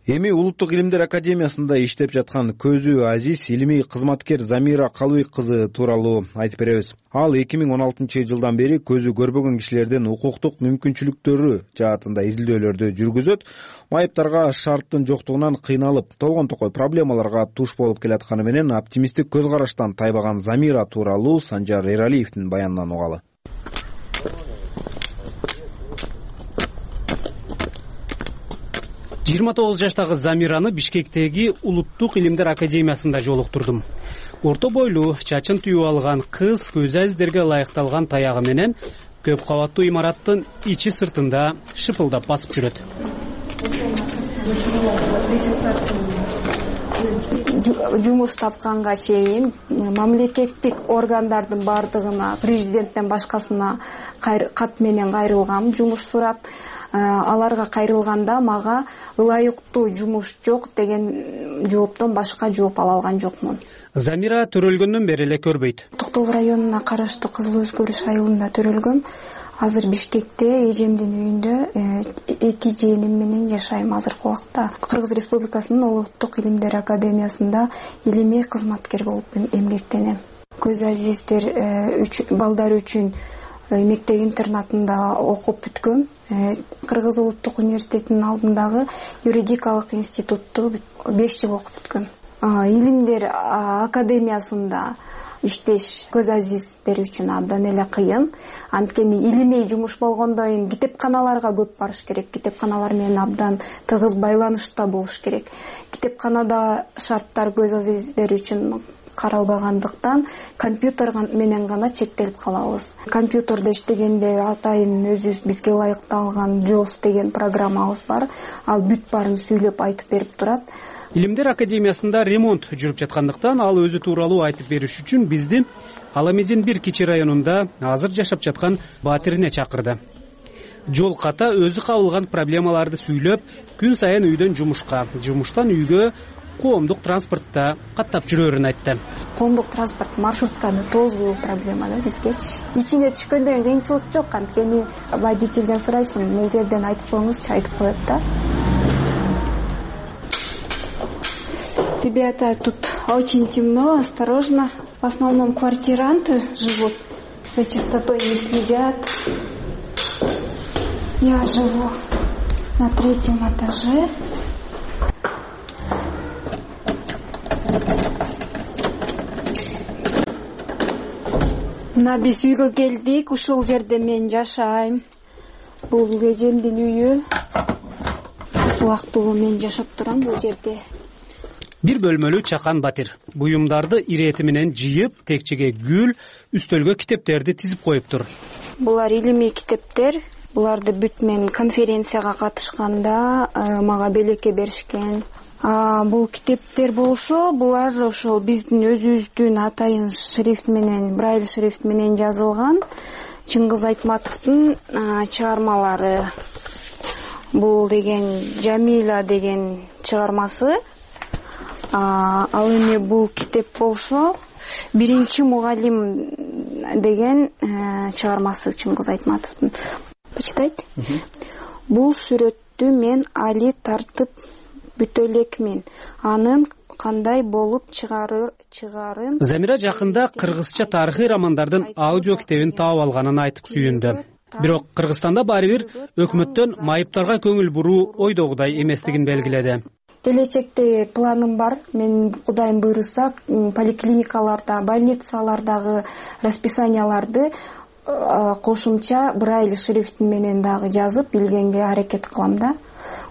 Эми Улуттук илимдер академиясында иштеп жаткан көзү азиз илимий кызматкер Замира Калыбек кызы тууралуу айтып беребиз. Ал эки миң он алтынчы жылдан бери көзү көрбөгөн кишилердин укуктук мүмкүнчүлүктөрү жаатында изилдөөлөрдү жүргүзөт. Майыптарга шарттын жоктугунан кыйналып, толгон токой проблемаларга туш болуп келатканы менен оптимисттик көз караштан тайбаган Замира тууралуу Санжар Эралиевдин баянынан угалы. жыйырма тогуз жаштагы Замираны Бишкектеги Улуттук илимдер академиясында жолуктурдум. Орто бойлуу, чачын түйүп алган кыз көз азиздерге ылайыкталган таягы менен көп кабаттуу имараттын ичи сыртында шыпылдап басып жүрөт. Жумуш тапканга чейин мамлекеттик органдардын бардыгына, президенттен башкасына кат менен кайрылгам, жумуш сурап. Аларга кайрылганда мага ылайыктуу жумуш жок деген жооптон башка жооп ала алган жокмун. Замира төрөлгөндөн бери эле көрбөйт. Токтогул районуна караштуу Кызыл Өзгөрүш айылында төрөлгөм. Азыр Бишкекте эжемдин үйүндө эки жыйыным менен жашайм азыркы убакта. Кыргыз Республикасынын Улуттук илимдер академиясында илимий кызматкер болуп эмгектенем. Көз азиздер балдар үчүн мектеп интернатында окуп бүткөм. Кыргыз Улуттук университетинин алдындагы юридикалык институтту беш жыл окуп бүткөм. Илимдер академиясында иштеш көз азиздер үчүн абдан эле кыйын. Анткени илимий жумуш болгондон кийин китепканаларга көп барыш керек, китепканалар менен абдан тыгыз байланышта болуш керек. Китепканада шарттар көз азиздер үчүн каралбагандыктан компьютер менен гана чектелип калабыз. Компьютерде иштегенде атайын өзүбүз бизге ылайыкталган джоус деген программабыз бар. Ал бүт баарын сүйлөп айтып берип турат. Илимдер академиясында ремонт жүрүп жаткандыктан ал өзү тууралуу айтып бериш үчүн бизди Аламедин бир кичи районунда азыр жашап жаткан батирине чакырды. Жол ката өзү кабылган проблемаларды сүйлөп, күн сайын үйдөн жумушка, жумуштан үйгө коомдук транспортто каттап жүрөрүн айтты. Коомдук транспорт маршрутканы тозуу проблема да бизгечи. Ичине түшкөндөн кыйынчылык жок, анткени водительден сурайсың, бул жерден айтып коюңузчу, айтып коет да. Ребята, тут очень темно, осторожно. В основном квартиранты живут, за чистотой не следят. Я живу на третьем этаже. Мына биз үйгө келдик, ушул жерде мен жашайм. Бул эжемдин үйү. Убактылуу мен жашап турам бул жерде. Бир бөлмөлүү чакан батир. Буюмдарды ирети менен жыйып, текчеге гүл, үстөлгө китептерди тизип коюптур. Булар илимий китептер. Буларды бүт мен конференцияга катышканда мага белекке беришкен. Бул китептер болсо, булар ошол биздин өзүбүздүн атайын шрифт менен, брайль шрифт менен жазылган Чыңгыз Айтматовдун чыгармалары. Бул деген Жамиля деген чыгармасы. Ал эми бул китеп болсо, биринчи мугалим деген чыгармасы Чыңгыз Айтматовдун. Почитайте. Бул сүрөттү мен али тартып бүтө элекмин. Анын кандай болуп чыгарыр чыгарын. Замира жакында кыргызча тарыхый романдардын аудио китебин таап алганын айтып сүйүндү. Бирок Кыргызстанда баары бир өкмөттөн майыптарга көңүл буруу ойдогудай эместигин белгиледи. Келечекте планым бар. Мен Кудайым буйруса поликлиникаларда, больницалардагы расписанияларды кошумча брайль шрифт менен дагы жазып билгенге аракет кылам да.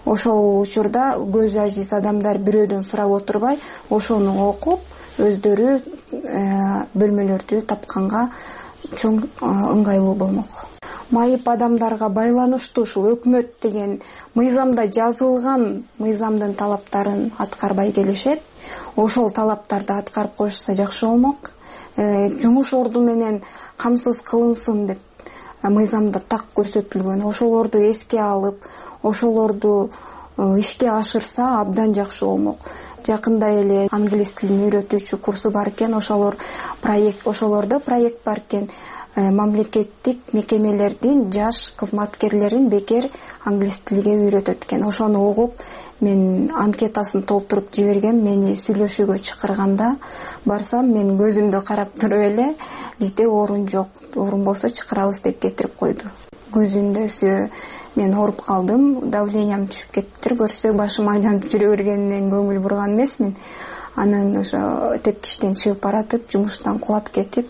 Ошол учурда көз ажиз адамдар бирөөдөн сурап отурбай, ошону окуп, өздөрү бөлмөлөрдү тапканга чоң ыңгайлуу болмок. Майып адамдарга байланыштуу ушул өкмөт деген мыйзамда жазылган мыйзамдын талаптарын аткарбай келишет. Ошол талаптарды аткарып коюшса жакшы болмок. Жумуш орду менен камсыз кылынсын деп мыйзамда так көрсөтүлгөн. Ошолорду эске алып, ошолорду ишке ашырса абдан жакшы болмок. Жакында эле англис тилин үйрөтүүчү курсу бар экен, ошолор проект, ошолордо проект бар экен. Мамлекеттик мекемелердин жаш кызматкерлерин бекер англис тилге үйрөтөт экен. Ошону угуп, мен анкетасын толтуруп жибергем. Мени сүйлөшүүгө чакырганда барсам, мен көзүмдү карап туруп эле, бизде орун жок, орун болсо чакырабыз деп кетирип койду. Көзүндө мен ооруп калдым, давлениям түшүп кетиптир. Көрсө башым айланып жүрө бергенинен көңүл бурган эмесмин. Анан ошо тепкичтен чыгып баратып, жумуштан кулап кетип,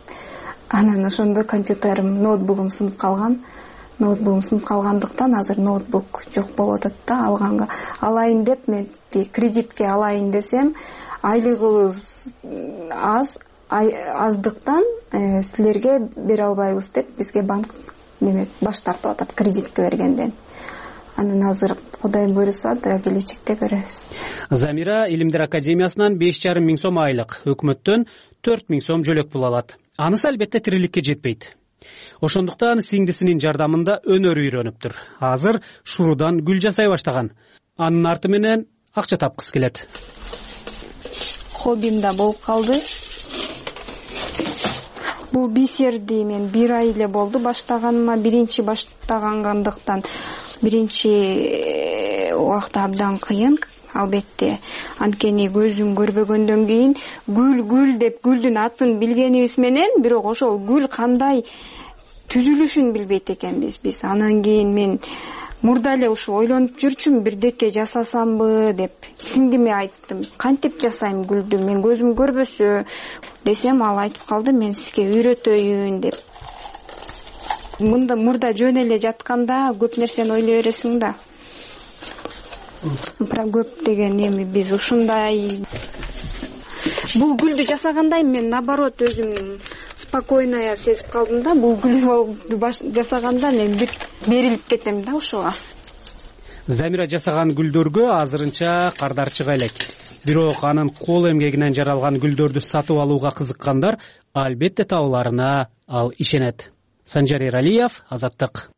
анан ошондо компьютерим, ноутбугум сынып калган. Ноутбугум сынып калгандыктан азыр ноутбук жок болуп атат да. Алганга алайын деп, мен кредитке алайын десем, айлыгыбыз аз, аздыктан силерге бере албайбыз деп бизге банк неме баш тартып атат кредитке бергенден. Анан азыр Кудайым буйруса да келечекте көрөбүз. Замира Илимдер академиясынан беш жарым миң сом айлык, өкмөттөн төрт миң сом жөлөк пул алат. Анысы албетте тириликке жетпейт. Ошондуктан сиңдисинин жардамында өнөр үйрөнүптүр. Азыр шурудан гүл жасай баштаган. Анын арты менен акча тапкысы келет. Хоббим да болуп калды. Бул бисерди мен бир ай эле болду баштаганыма. Биринчи баштагандыктан биринчи убакта абдан кыйын. Албетте, анткени көзүм көрбөгөндөн кийин гүл гүл деп гүлдүн атын билгенибиз менен, бирок ошол гүл кандай түзүлүшүн билбейт экенбиз биз. Анан кийин мен мурда эле ушу ойлонуп жүрчүм, бирдеке жасасамбы деп. Сиңдиме айттым, кантип жасайм гүлдү, мен көзүм көрбөсө, десем, ал айтып калды, мен сизге үйрөтөйүн деп. Мында мурда жөн эле жатканда көп нерсени ойлой бересиң да. Про көп деген эми биз ушундай. Бул гүлдү жасагандай мен наоборот өзүм спокойно сезип калдым да. Бул гүлдү жасаганда мен бүт берилип кетем да ошого. Замира жасаган гүлдөргө азырынча кардар чыга элек. Бирок анын кол эмгегинен жаралган гүлдөрдү сатып алууга кызыккандар албетте табыларына ал ишенет. Санжар Эралиев, Азаттык.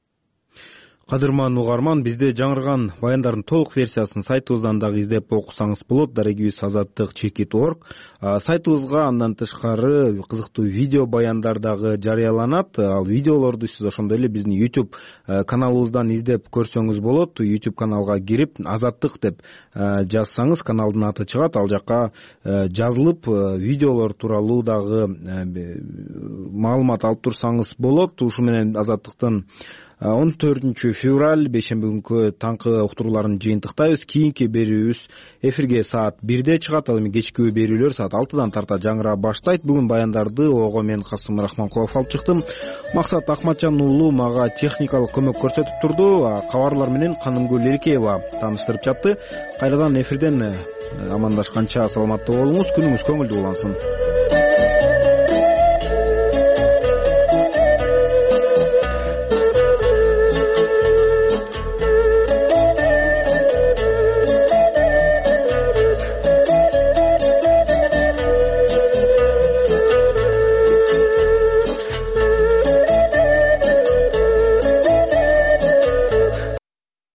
Кадырман угарман, бизде жаңырган баяндардын толук версиясын сайтыбыздан дагы издеп окусаңыз болот. Дарегибиз азаттык чекит точка орг. Сайтыбызга андан тышкары кызыктуу видео баяндар дагы жарыяланат. Ал видеолорду сиз ошондой эле биздин YouTube каналыбыздан издеп көрсөңүз болот. YouTube каналга кирип азаттык деп жазсаңыз каналдын аты чыгат. Ал жакка жазылып видеолор тууралуу дагы маалымат алып турсаңыз болот. Ушу менен азаттыктын он төртүнчү февраль бейшемби күнкү таңкы уктурууларын жыйынтыктайбыз. Кийинки берүүбүз эфирге саат бирде чыгат. Ал эми кечки берүүлөр саат алтыдан тарта жаңыра баштайт. Бүгүн баяндарды ого мен Касым Рахманкулов алып чыктым. Максат Акматжан уулу мага техникалык көмөк көрсөтүп турду. Кабарлар менен Канымгүл Эркеева тааныштырып жатты. Кайрадан эфирден амандашканча саламаттуу болуңуз, күнүңүз көңүлдүү улансын.